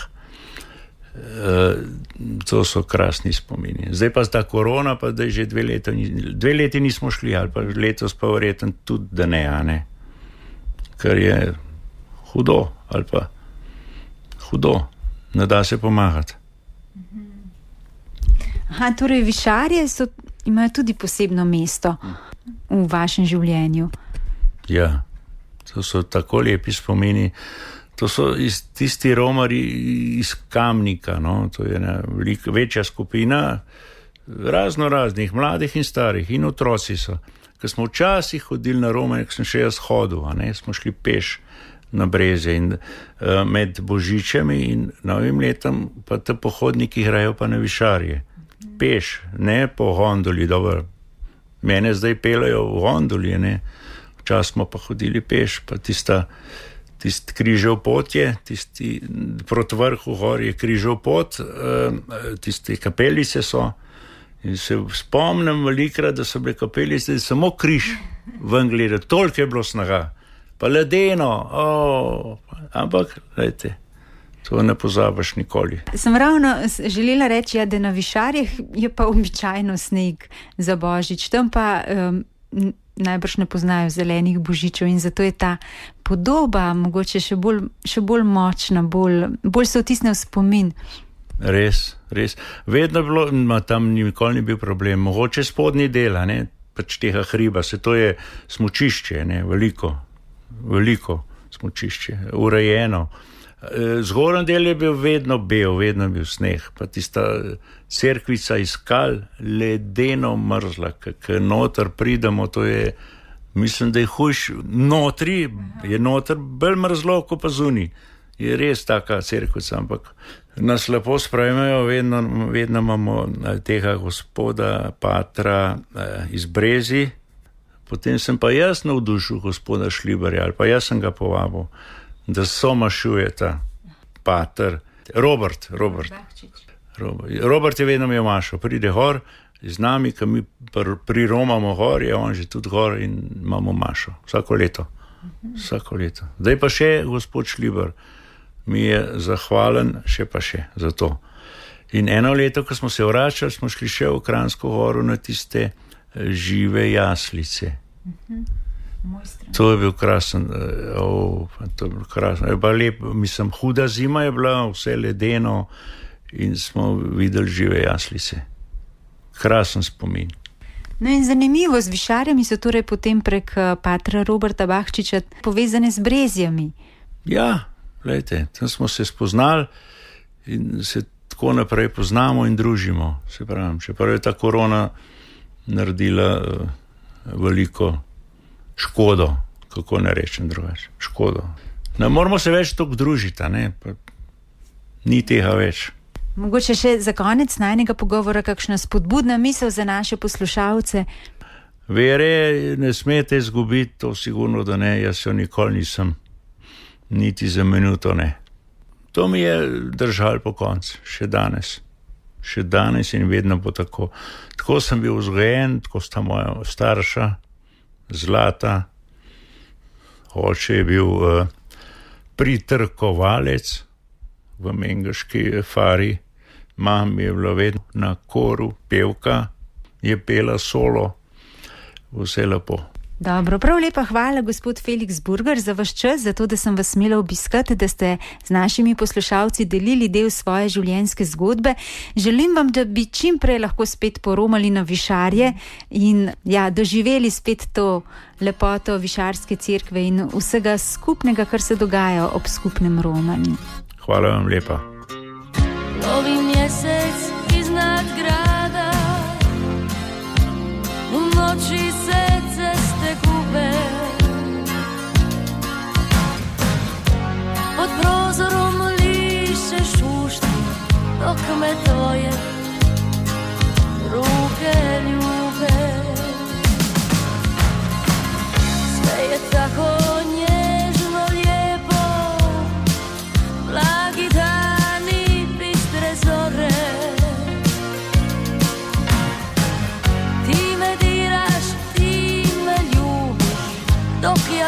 Speaker 4: To so krasni spomini. Zdaj pa ta korona, pa da je že 2 leti nismo šli, ali pa letos pa verjetno tudi, da ne, ker je hudo, ali pa hudo, ne da se pomagati.
Speaker 1: Aha, torej Višarje imajo tudi posebno mesto v vašem življenju.
Speaker 4: Ja, to so tako lepi spomini. To so tisti romari iz Kamnika, no? To je ena večja skupina raznih, mladih in starih, in otroci so. Ker smo včasih hodili na romanje, ko sem še jaz hodil, smo šli peš na Brezje in med Božičem in Novim letom pa te pohodniki grejo pa na Višarje. Peš, ne po gondoli, dobro. Mene zdaj pelajo v gondoli, ne. Včasih smo pa hodili peš, pa tisti križev pot je, tisti proti vrhu gor je križev pot, tiste kapelice so. In se spomnim velikrat, da so bile kapelice, da samo križ ven gleda, toliko je bilo snaga. Pa ledeno, ampak, gledajte, to ne pozabiš nikoli.
Speaker 1: Sem ravno želela reči, da na Višarjih je pa običajno sneg za Božič, tam pa najbrž ne poznajo zelenih božičev in zato je ta podoba mogoče še bolj močna, bolj se vtisne v spomin.
Speaker 4: Res. Vedno bilo, tam nikoli ni bil problem. Mogoče spodnji del, pač tega hriba, se to je smučišče, veliko smučišče, urejeno. Zgornji del je bil vedno bil sneg, pa tista cerkvica iz skal, ledeno mrzla, ker noter pridemo, to je, mislim, da je hujš, je noter bolj mrzlo, kot pa zunaj. Je res taka cerkvica, ampak nas lepo sprejmejo, vedno imamo tega gospoda Patra iz Brezi, potem sem pa jaz navdušil gospoda Šliberja, ali pa jaz sem ga povabil, da somašuje ta pater, Robert je vedno mi mašal, pride gor z nami, ko mi priromamo gor, je on že tudi gor in imamo mašo, vsako leto. Zdaj pa še gospod Šliber mi je zahvalen, še za to. In eno leto, ko smo se vračali, smo šli še v Kranjsko Goro na tiste žive jaslice. To je bil krasen, je pa lep, mislim, huda zima je bila, vse ledeno in smo videli žive jaslice. Krasen spomin.
Speaker 1: No in zanimivo, z Višarjami so torej potem prek patra Roberta Bahčiča povezane z Brezjami.
Speaker 4: Ja, gledajte, tam smo se spoznali in se tako naprej poznamo in družimo, se pravim, čeprav je ta korona naredila veliko škodo, kako ne rečem drugače, škodo. Ne moramo se več toliko družiti, ni tega več.
Speaker 1: Mogoče še za konec najnega pogovora kakšna spodbudna misel za naše poslušalce?
Speaker 4: Vere ne smete izgubiti, to sigurno, da ne, jaz jo nikoli nisem, niti za minuto ne. To mi je držalo po koncu, še danes in vedno bo tako. Tako sem bil vzgojen, tako sta moja starša, Zlata, oče je bil pritrkovalec v Mengeški fari, mam je bila vedno na koru, pevka, je pela solo, vse lepo.
Speaker 1: Dobro, prav lepa hvala, gospod Felix Burger, za vaš čas, za to, da sem vas smela obiskati, da ste z našimi poslušalci delili del svoje življenjske zgodbe. Želim vam, da bi čim prej lahko spet poromali na Višarje in doživeli spet to lepoto Višarske cerkve in vsega skupnega, kar se dogaja ob skupnem romanju.
Speaker 4: Hvala vam lepa.
Speaker 5: Novi mjesec iznad grada, u noći se ceste gube, pod prozorom liše šušti, dok me tvoje ruke ljube. Sve je tako nježno,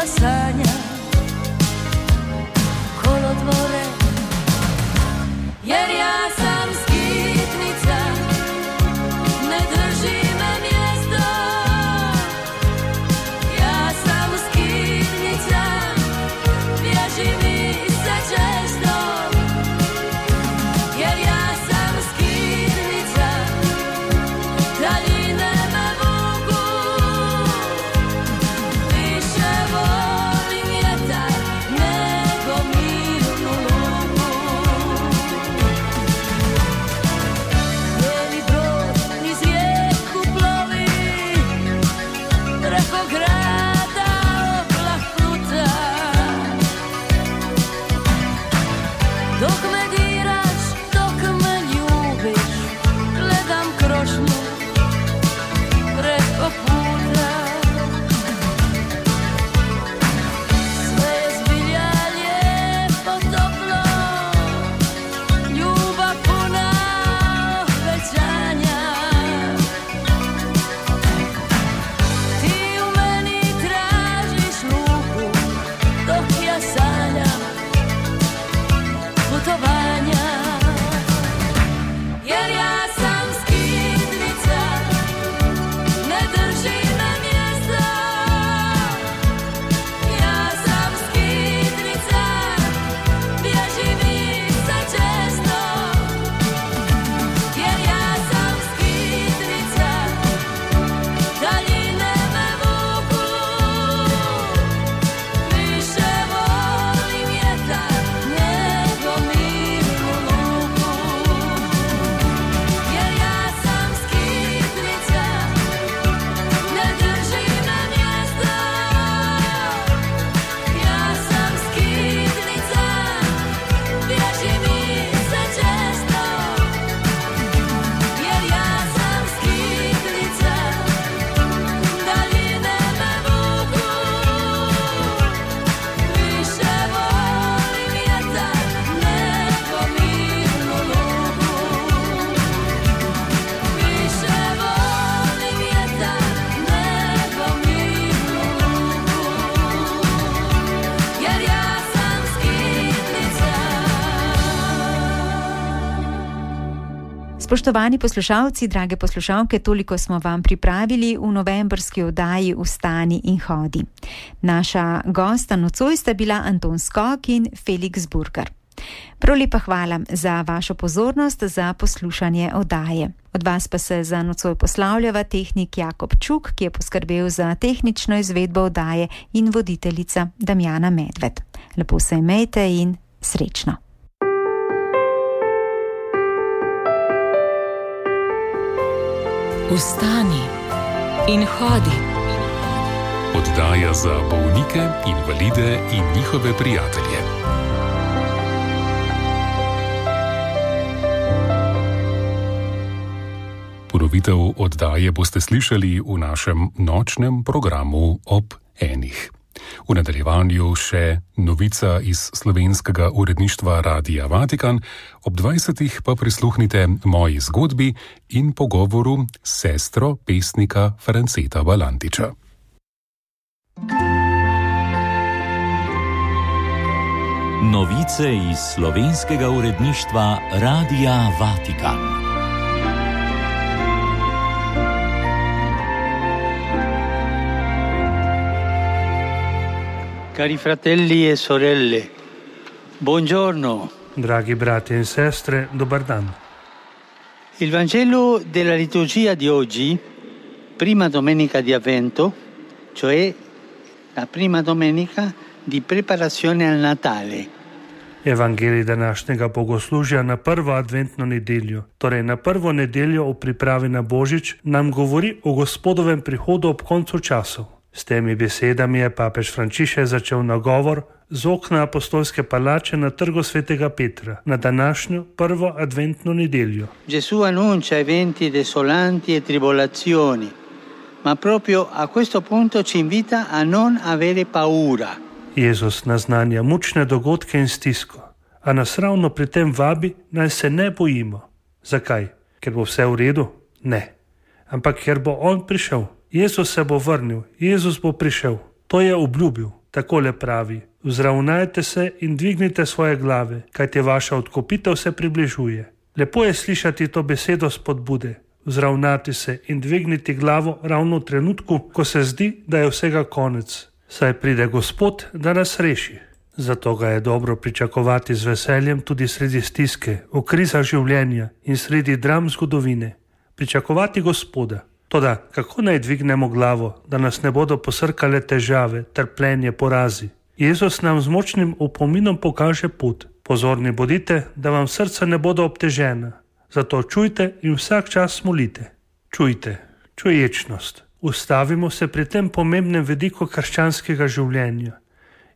Speaker 5: ja sanjam kolodvore, jer ja sam skitnica, ne drži me mjesto. Ja sam skitnica, bježi mi se često, jer ja sam skitnica, daljine me vuku, više volim vjetar nego mirnu luku. Bijeli brod niz rijeku plovi, preko grada oblak pluta. Dok me diraš, dok me ljubiš, gledam krošnju preko puta. Sve je zbilja lijepo, toplo, ljubav puna obećanja. Ti u meni tražiš luku, dok ja sanjam putovanja. Jer ja sam skitnica, ne drži me mjesto. Ja sam skitnica, bježi mi se često. Jer ja sam skitnica, daljine me vuku, više volim vjetar nego mirnu luku. Jer ja sam skitnica, ne drži me mjesto. Ja sam skitnica, bježi mi se često. Jer ja sam skitnica, daljine me vuku, više volim vjetar nego mirnu luku. Više volim vjetar nego mirnu luku. Jer ja sam skitnica.
Speaker 1: Spoštovani poslušalci, drage poslušalke, toliko smo vam pripravili v novembrski oddaji Vstani in hodi. Naša gosta nocoj sta bila Anton Skok in Felix Burger. Prav lepa hvala za vašo pozornost, za poslušanje oddaje. Od vas pa se za nocoj poslavljava tehnik Jakob Čuk, ki je poskrbel za tehnično izvedbo oddaje, in voditeljica Damjana Medved. Lepo se imejte in srečno.
Speaker 6: Vstani in hodi.
Speaker 7: Oddaja za bolnike, invalide in njihove prijatelje. Ponovitev oddaje boste slišali v našem nočnem programu ob 1. V nadaljevanju še novica iz slovenskega uredništva Radia Vatikan, ob 20. pa prisluhnite moji zgodbi in pogovoru s sestro pesnika Franceta Valantiča.
Speaker 8: Novice iz slovenskega uredništva Radia Vatikan.
Speaker 9: Cari fratelli e sorelle, buongiorno.
Speaker 10: Draghi brati e sestre, dobar dan.
Speaker 9: Il Vangelo della liturgia di oggi, prima domenica di Avvento, cioè la prima domenica di preparazione al Natale.
Speaker 10: Evangelij današnjega bogoslužja na prvo adventno nedeljo, torej na prvo nedeljo v pripravi na Božič, nam govori o Gospodovem prihodu ob koncu časov. S temi besedami je papež Frančišek začel nagovor z okna apostolske palače na trgu svetega Petra na današnjo prvo adventno nedeljo.
Speaker 9: Gesù annuncia eventi desolanti e tribolazioni, ma proprio a questo punto ci invita a non avere paura.
Speaker 10: Jezus naznanja mučne dogodke in stisko, a nas ravno pri tem vabi, naj se ne bojimo. Zakaj? Ker bo vse v redu? Ne. Ampak ker bo on prišel. Jezus se bo vrnil, Jezus bo prišel. To je obljubil. takole pravi: vzravnajte se in dvignite svoje glave, kajti vaša odkupitev se približuje. Lepo je slišati to besedo spodbude. Vzravnati se in dvigniti glavo ravno v trenutku, ko se zdi, da je vsega konec. Saj pride Gospod, da nas reši. Zato ga je dobro pričakovati z veseljem tudi sredi stiske, v krizah življenja in sredi dram zgodovine. Pričakovati Gospoda. Toda kako naj dvignemo glavo, da nas ne bodo posrkale težave, trpljenje, porazi? Jezus nam z močnim opominom pokaže pot. Pozorni bodite, da vam srca ne bodo obtežena. Zato čujte in vsak čas molite. Čujte, čuječnost. Ustavimo se pri tem pomembnem vidiku krščanskega življenja.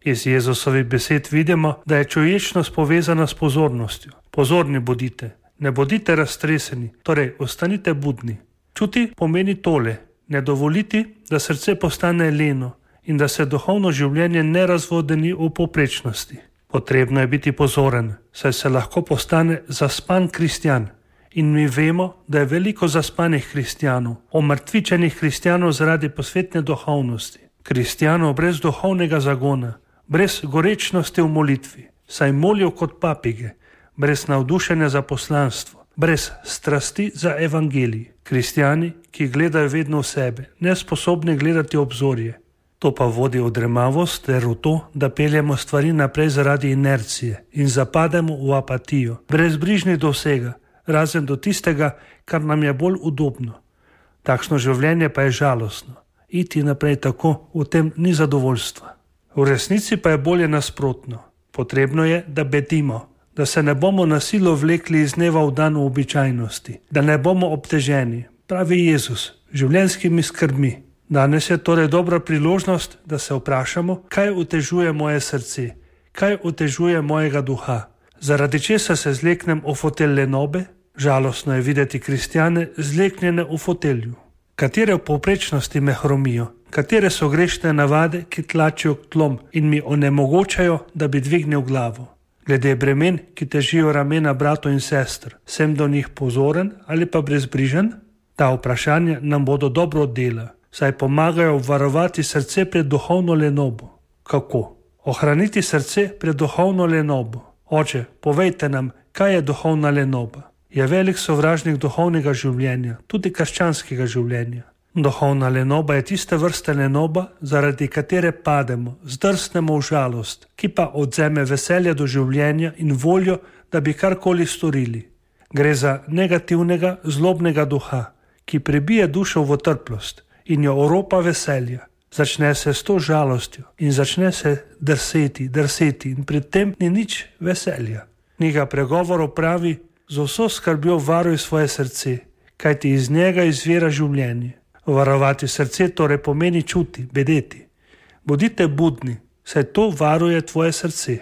Speaker 10: Iz Jezusovih besed vidimo, da je čuječnost povezana s pozornostjo. Pozorni bodite, ne bodite raztreseni, torej ostanite budni. Čuti pomeni tole: ne dovoliti, da srce postane leno in da se duhovno življenje ne razvodeni v povprečnosti. Potrebno je biti pozoren, saj se lahko postane zaspan kristjan. In mi vemo, da je veliko zaspanih kristjanov, omrtvičenih kristjanov zaradi posvetne duhovnosti. Kristjanov brez duhovnega zagona, brez gorečnosti v molitvi, saj molijo kot papige, brez navdušenja za poslanstvo, brez strasti za evangelij. Kristjani, ki gledajo vedno v sebe, nesposobni gledati obzorje. To pa vodi v dremavost ter v to, da peljemo stvari naprej zaradi inercije in zapademo v apatijo, brezbrižni do vsega, razen do tistega, kar nam je bolj udobno. Takšno življenje pa je žalostno. Iti naprej tako, v tem ni zadovoljstva. V resnici pa je bolje nasprotno. Potrebno je, da bedimo, da se ne bomo na silo vlekli iz dneva v dan v običajnosti, da ne bomo obteženi, pravi Jezus, življenjskimi skrbmi. Danes je torej dobra priložnost, da se vprašamo, kaj otežuje moje srce, kaj otežuje mojega duha. Zaradi česa se zleknem v fotelj lenobe? Žalostno je videti kristjane zleknjene v fotelju. Katere v povprečnosti me hromijo? Katere so grešne navade, ki tlačijo k tlom in mi onemogočajo, da bi dvignil glavo? Glede bremen, ki težijo ramena bratov in sester, sem do njih pozoren ali pa brezbrižen? Ta vprašanja nam bodo dobro oddela, saj pomagajo obvarovati srce pred duhovno lenobo. Kako? Ohraniti srce pred duhovno lenobo. Oče, povejte nam, kaj je duhovna lenoba. Je velik sovražnik duhovnega življenja, tudi krščanskega življenja. Duhovna lenoba je tiste vrste lenoba, zaradi katere pademo, zdrsnemo v žalost, ki pa odzeme veselje do življenja in voljo, da bi karkoli storili. Gre za negativnega, zlobnega duha, ki prebije dušo v otrplost in jo oropa veselja. Začne se s to žalostjo in začne se drseti in pri tem ni nič veselja. Knjiga Pregovorov pravi: z vso skrbjo varuj svoje srce, kajti iz njega izvira življenje. Varovati srce torej pomeni čuti, bedeti. Bodite budni, saj to varuje tvoje srce.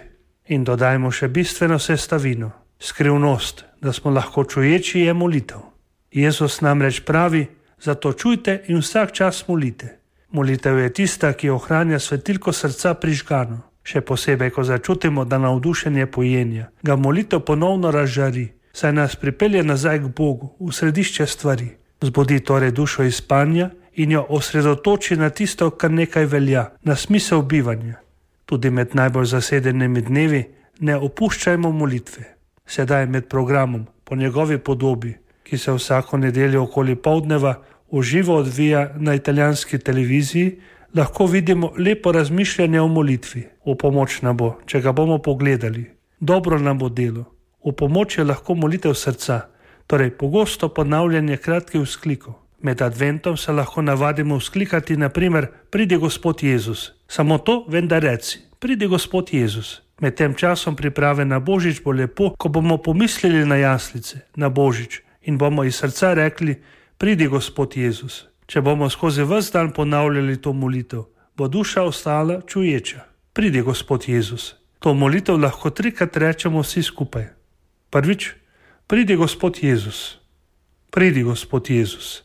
Speaker 10: In dodajmo še bistveno sestavino, skrivnost, da smo lahko čuječi, je molitev. Jezus namreč pravi: zato čujte in vsak čas molite. Molitev je tista, ki ohranja svetilko srca prižgano. Še posebej, ko začutimo, da navdušenje pojenja, ga molitev ponovno razžari, saj nas pripelje nazaj k Bogu, v središče stvari. Zbudi torej dušo iz spanja in jo osredotoči na tisto, kar nekaj velja, na smisel bivanja. Tudi med najbolj zasedenimi dnevi ne opuščajmo molitve. Sedaj med programom Po njegovi podobi, ki se vsako nedeljo okoli poldneva v živo odvija na italijanski televiziji, lahko vidimo lepo razmišljanje o molitvi. V pomoč nam bo, če ga bomo pogledali. Dobro nam bo delo. V pomoč je lahko molitev srca, torej pogosto ponavljanje kratkih vzklikov. Med adventom se lahko navadimo vzklikati naprimer: pridi Gospod Jezus. Samo to vendar reci: pridi Gospod Jezus. Med tem časom priprave na Božič bo lepo, ko bomo pomislili na jaslice, na Božič in bomo iz srca rekli: pridi Gospod Jezus. Če bomo skozi ves dan ponavljali to molitev, bo duša ostala čuječa. Pridi Gospod Jezus. To molitev lahko 3-krat rečemo vsi skupaj. Prvič: pridi Gospod Jezus. Pridi Gospod Jezus.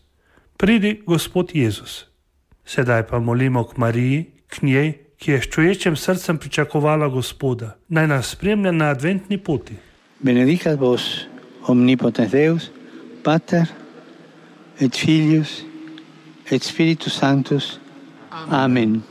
Speaker 10: Pridi Gospod Jezus. Sedaj pa molimo k Mariji, k njej, ki je s čuječim srcem pričakovala Gospoda. Naj nas spremlja na adventni poti.
Speaker 9: Benedicat vos omnipotens Deus, Pater et Filius et Spiritus Sanctus. Amen.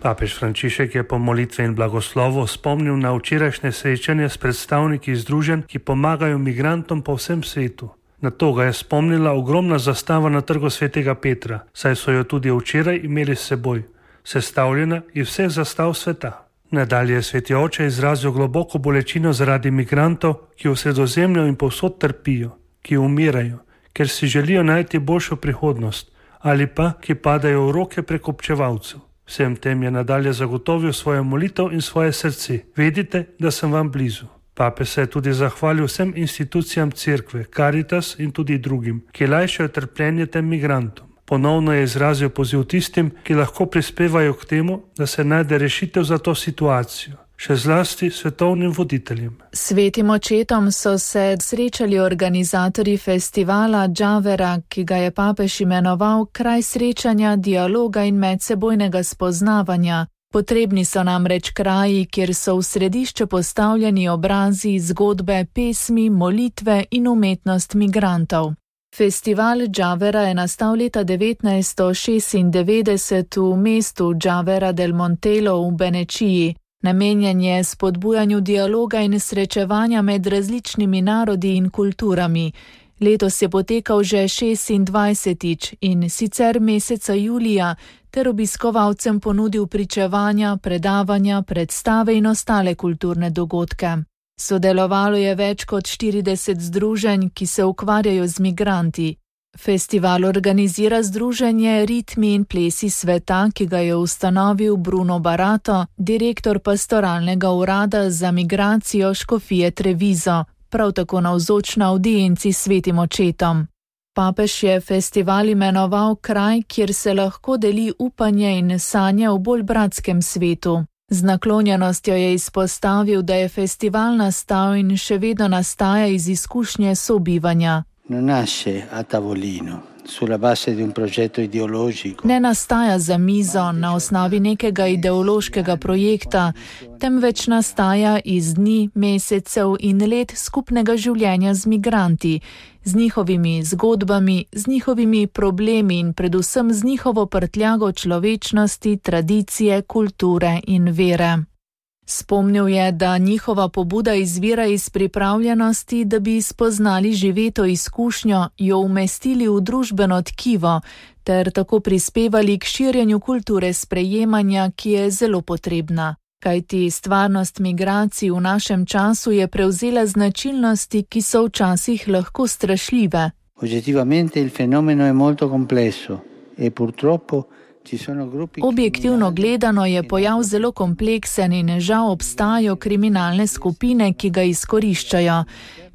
Speaker 10: Papež Frančišek je po molitvi in blagoslovu spomnil na včerajšnje srečanje s predstavniki združenj, ki pomagajo migrantom po vsem svetu. Na to ga je spomnila ogromna zastava na trgu Svetega Petra, saj so jo tudi včeraj imeli s seboj, sestavljena iz vseh zastav sveta. Nadalje je Sveti Oče izrazil globoko bolečino zaradi migrantov, ki v Sredozemlju in povsod trpijo, ki umirajo, ker si želijo najti boljšo prihodnost, ali pa ki padajo v roke prekupčevalcev. Vsem tem je nadalje zagotovil svojo molitev in svoje srce. Vedite, da sem vam blizu. Papež se je tudi zahvalil vsem institucijam cerkve, Caritas in tudi drugim, ki lajšajo trpljenje tem migrantom. Ponovno je izrazil poziv tistim, ki lahko prispevajo k temu, da se najde rešitev za to situacijo. Še zlasti svetovnim voditeljem.
Speaker 11: Svetim očetom so se srečali organizatorji festivala Džavera, ki ga je papež imenoval kraj srečanja, dialoga in medsebojnega spoznavanja. Potrebni so namreč kraji, kjer so v središče postavljeni obrazi, zgodbe, pesmi, molitve in umetnost migrantov. Festival Džavera je nastal leta 1996 v mestu Džavera del Montelo v Benečiji. Namenjen je spodbujanju dialoga in srečevanja med različnimi narodi in kulturami. Letos je potekal že 26. in sicer meseca julija, ter obiskovalcem ponudil pričevanja, predavanja, predstave in ostale kulturne dogodke. Sodelovalo je več kot 40 združenj, ki se ukvarjajo z migranti. Festival organizira združenje Ritmi in plesi sveta, ki ga je ustanovil Bruno Barato, direktor pastoralnega urada za migracijo škofije Treviso, prav tako navzoč na avdienci svetim očetom. Papež je festival imenoval kraj, kjer se lahko deli upanje in sanje v bolj bratskem svetu. Z naklonjenostjo je izpostavil, da je festival nastal in še vedno nastaja iz izkušnje sobivanja.
Speaker 9: Non nasce a tavolino, sulla base di un progetto ideologico.
Speaker 11: Ne nastaja za mizo na osnovi nekega ideološkega projekta, temveč nastaja iz dni, mesecev in let skupnega življenja z migranti, z njihovimi zgodbami, z njihovimi problemi in predvsem z njihovo prtljago človečnosti, tradicije, kulture in vere. Spomnil je, da njihova pobuda izvira iz pripravljenosti, da bi spoznali živeto izkušnjo, jo umestili v družbeno tkivo, ter tako prispevali k širjenju kulture sprejemanja, ki je zelo potrebna. Kajti stvarnost migracij v našem času je prevzela značilnosti, ki so včasih lahko strašljive.
Speaker 9: Oggettivamente il fenomeno è molto complesso e purtroppo
Speaker 11: objektivno gledano je pojav zelo kompleksen in žal obstajajo kriminalne skupine, ki ga izkoriščajo.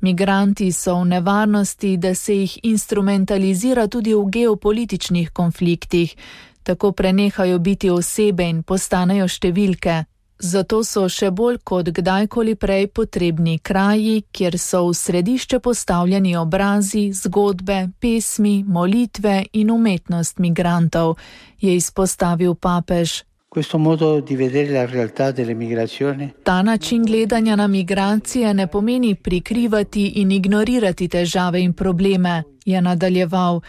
Speaker 11: Migranti so v nevarnosti, da se jih instrumentalizira tudi v geopolitičnih konfliktih, tako prenehajo biti osebe in postanejo številke. Zato so še bolj kot kdajkoli prej potrebni kraji, kjer so v središče postavljeni obrazi, zgodbe, pesmi, molitve in umetnost migrantov, je izpostavil papež. Ta način gledanja na migracije ne pomeni prikrivati in ignorirati težave in probleme, je nadaljeval.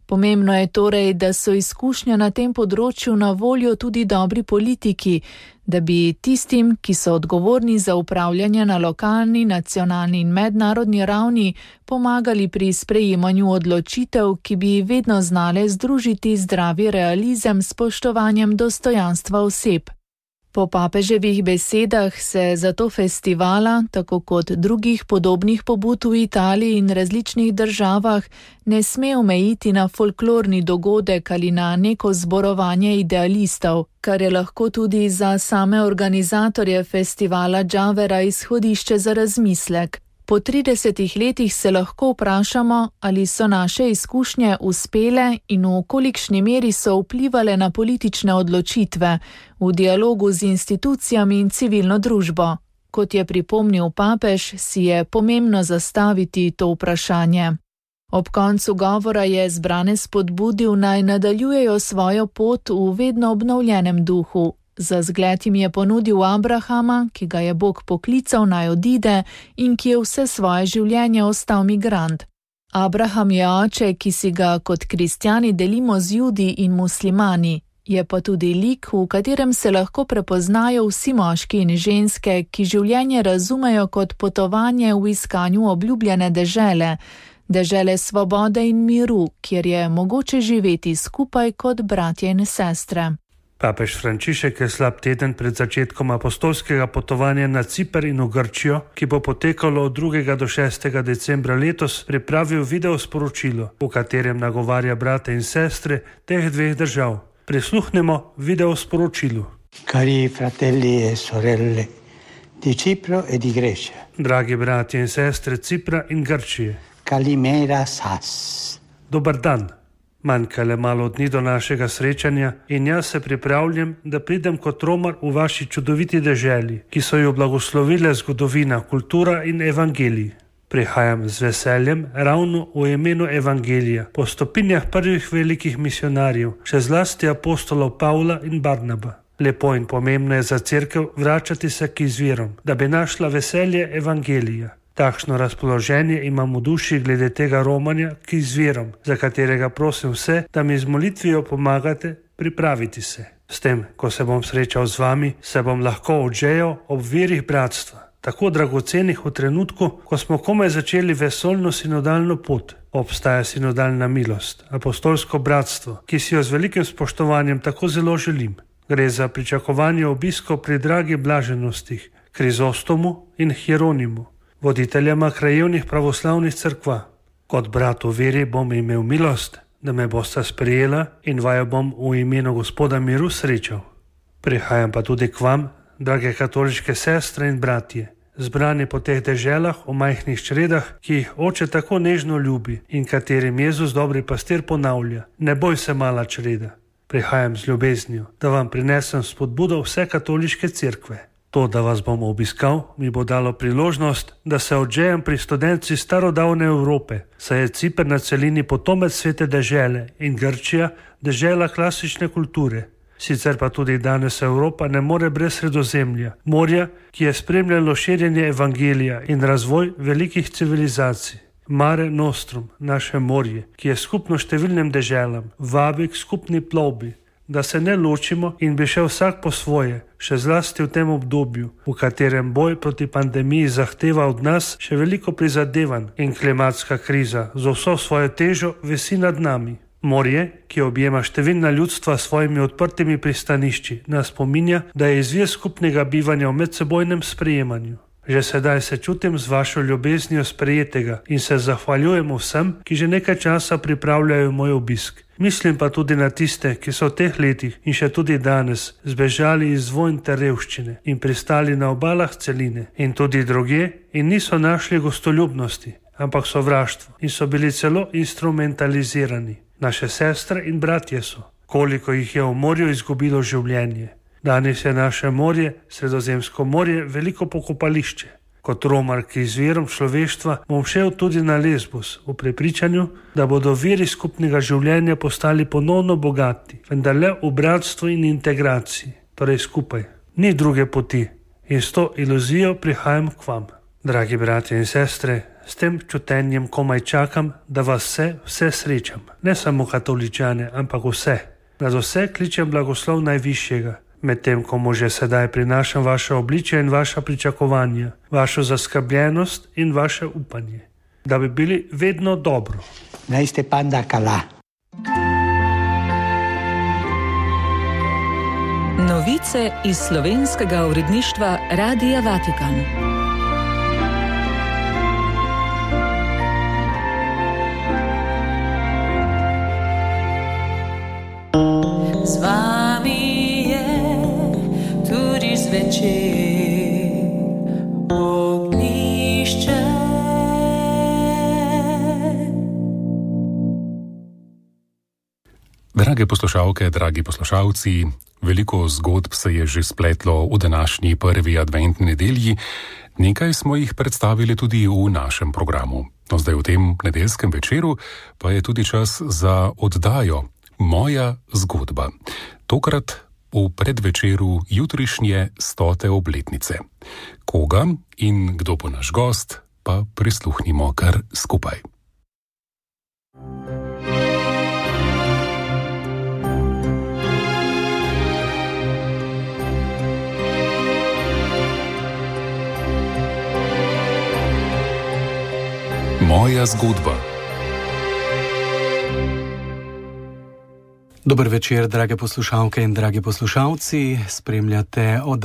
Speaker 11: Pomembno je torej, da so izkušnje na tem področju na voljo tudi dobri politiki, da bi tistim, ki so odgovorni za upravljanje na lokalni, nacionalni in mednarodni ravni, pomagali pri sprejemanju odločitev, ki bi vedno znale združiti zdravi realizem s spoštovanjem dostojanstva oseb. Po papeževih besedah se zato festivala, tako kot drugih podobnih pobud v Italiji in različnih državah, ne sme omejiti na folklorni dogodek ali na neko zborovanje idealistov, kar je lahko tudi za same organizatorje festivala Džavera izhodišče za razmislek. Po 30 letih se lahko vprašamo, ali so naše izkušnje uspele in v kolikšni meri so vplivale na politične odločitve v dialogu z institucijami in civilno družbo. Kot je pripomnil papež, si je pomembno zastaviti to vprašanje. Ob koncu govora je zbrane spodbudil, naj nadaljujejo svojo pot v vedno obnovljenem duhu. Za zgled jim je ponudil Abrahama, ki ga je Bog poklical naj odide in ki je vse svoje življenje ostal migrant. Abraham je oče, ki si ga kot kristjani delimo z Judi in muslimani. Je pa tudi lik, v katerem se lahko prepoznajo vsi moški in ženske, ki življenje razumejo kot potovanje v iskanju obljubljene dežele svobode in miru, kjer je mogoče živeti skupaj kot bratje in sestre.
Speaker 10: Papež Frančišek je slab teden pred začetkom apostolskega potovanja na Ciper in v Grčijo, ki bo potekalo od 2. do 6. decembra letos, pripravil video sporočilo, v katerem nagovarja brate in sestre teh dveh držav. Prisluhnemo video sporočilu.
Speaker 9: Cari fratelli e sorelle di Cipro e di Grecia.
Speaker 10: Dragi bratje in sestre Cipra in Grčije.
Speaker 9: Kalimera sas.
Speaker 10: Dobar dan. Manjka le malo dni do našega srečanja in jaz se pripravljam, da pridem kot romar v vaši čudoviti deželi, ki so jo blagoslovile zgodovina, kultura in evangelij. Prihajam z veseljem ravno v imenu evangelija, po stopinjah prvih velikih misionarjev, še zlasti apostolov Pavla in Barnaba. Lepo in pomembno je za cerkev vračati se k izvirom, da bi našla veselje evangelija. Takšno razpoloženje imam v duši glede tega romanja k izvirom, za katerega prosim vse, da mi z molitvijo pomagate pripraviti se. S tem, ko se bom srečal z vami, se bom lahko odžejal ob virih bratstva, tako dragocenih v trenutku, ko smo komaj začeli vesoljno sinodalno pot. Obstaja sinodalna milost, apostolsko bratstvo, ki si jo z velikim spoštovanjem tako zelo želim. Gre za pričakovanje obiskov pri dragi blaženostih, Krizostomu in Hieronimu, voditeljama krajevnih pravoslavnih cerkva. Kot brat v veri bom imel milost, da me bosta sprejela in vaju bom v imenu Gospoda miru srečal. Prihajam pa tudi k vam, drage katoliške sestre in bratje, zbrani po teh deželah v majhnih čredah, ki jih Oče tako nežno ljubi in katerim Jezus dobri pastir ponavlja: ne boj se, mala čreda. Prihajam z ljubeznijo, da vam prinesem spodbudo vse katoliške cerkve. To, da vas bom obiskal, mi bo dalo priložnost, da se odžejem pri studenci starodavne Evrope, saj je Ciper na celini potomec svete dežele in Grčija dežela klasične kulture. Sicer pa tudi danes Evropa ne more brez Sredozemlja, morja, ki je spremljalo širjenje evangelija in razvoj velikih civilizacij. Mare Nostrum, naše morje, ki je skupno številnim deželam, vabi k skupni plovbi, da se ne ločimo in bi šel vsak po svoje, še zlasti v tem obdobju, v katerem boj proti pandemiji zahteva od nas še veliko prizadevanj in klimatska kriza z vso svojo težo visi nad nami. Morje, ki objema številna ljudstva s svojimi odprtimi pristanišči, nas spominja, da je izvir skupnega bivanja v medsebojnem sprejemanju. Že sedaj se čutim z vašo ljubeznijo sprejetega in se zahvaljujem vsem, ki že nekaj časa pripravljajo moj obisk. Mislim pa tudi na tiste, ki so v teh letih in še tudi danes zbežali iz vojn ter revščine in pristali na obalah celine in tudi drugje in niso našli gostoljubnosti, ampak sovraštvo in so bili celo instrumentalizirani. Naše sestre in bratje so, koliko jih je v morju izgubilo življenje. Danes je naše morje, Sredozemsko morje, veliko pokopališče. Kot romar k izvirom človeštva bom šel tudi na Lesbos v prepričanju, da bodo viri skupnega življenja postali ponovno bogati, vendar le v bratstvu in integraciji, torej skupaj. Ni druge poti in s to iluzijo prihajam k vam. Dragi bratje in sestre, s tem čutenjem komaj čakam, da vas vse srečam. Ne samo katoličane, ampak vse. Nad vse kličem blagoslov najvišjega. Medtem ko mu že sedaj prinašam vaše obličje in vaša pričakovanja, vašo zaskrbljenost in vaše upanje, da bi bili vedno dobro.
Speaker 9: Naj ste panda kala.
Speaker 6: Novice iz slovenskega uredništva Radia Vatikan.
Speaker 5: Z vami zvečer ognjišče.
Speaker 7: Drage poslušalke, dragi poslušalci, veliko zgodb se je že spletlo v današnji prvi adventni nedelji, nekaj smo jih predstavili tudi v našem programu. No, zdaj v tem nedeljskem večeru pa je tudi čas za oddajo Moja zgodba. Tokrat v predvečeru jutrišnje 100. obletnice. Koga in kdo bo naš gost, pa prisluhnimo kar skupaj. Moja zgodba.
Speaker 12: Dober večer, drage poslušalke in dragi poslušalci. Spremljate oddajo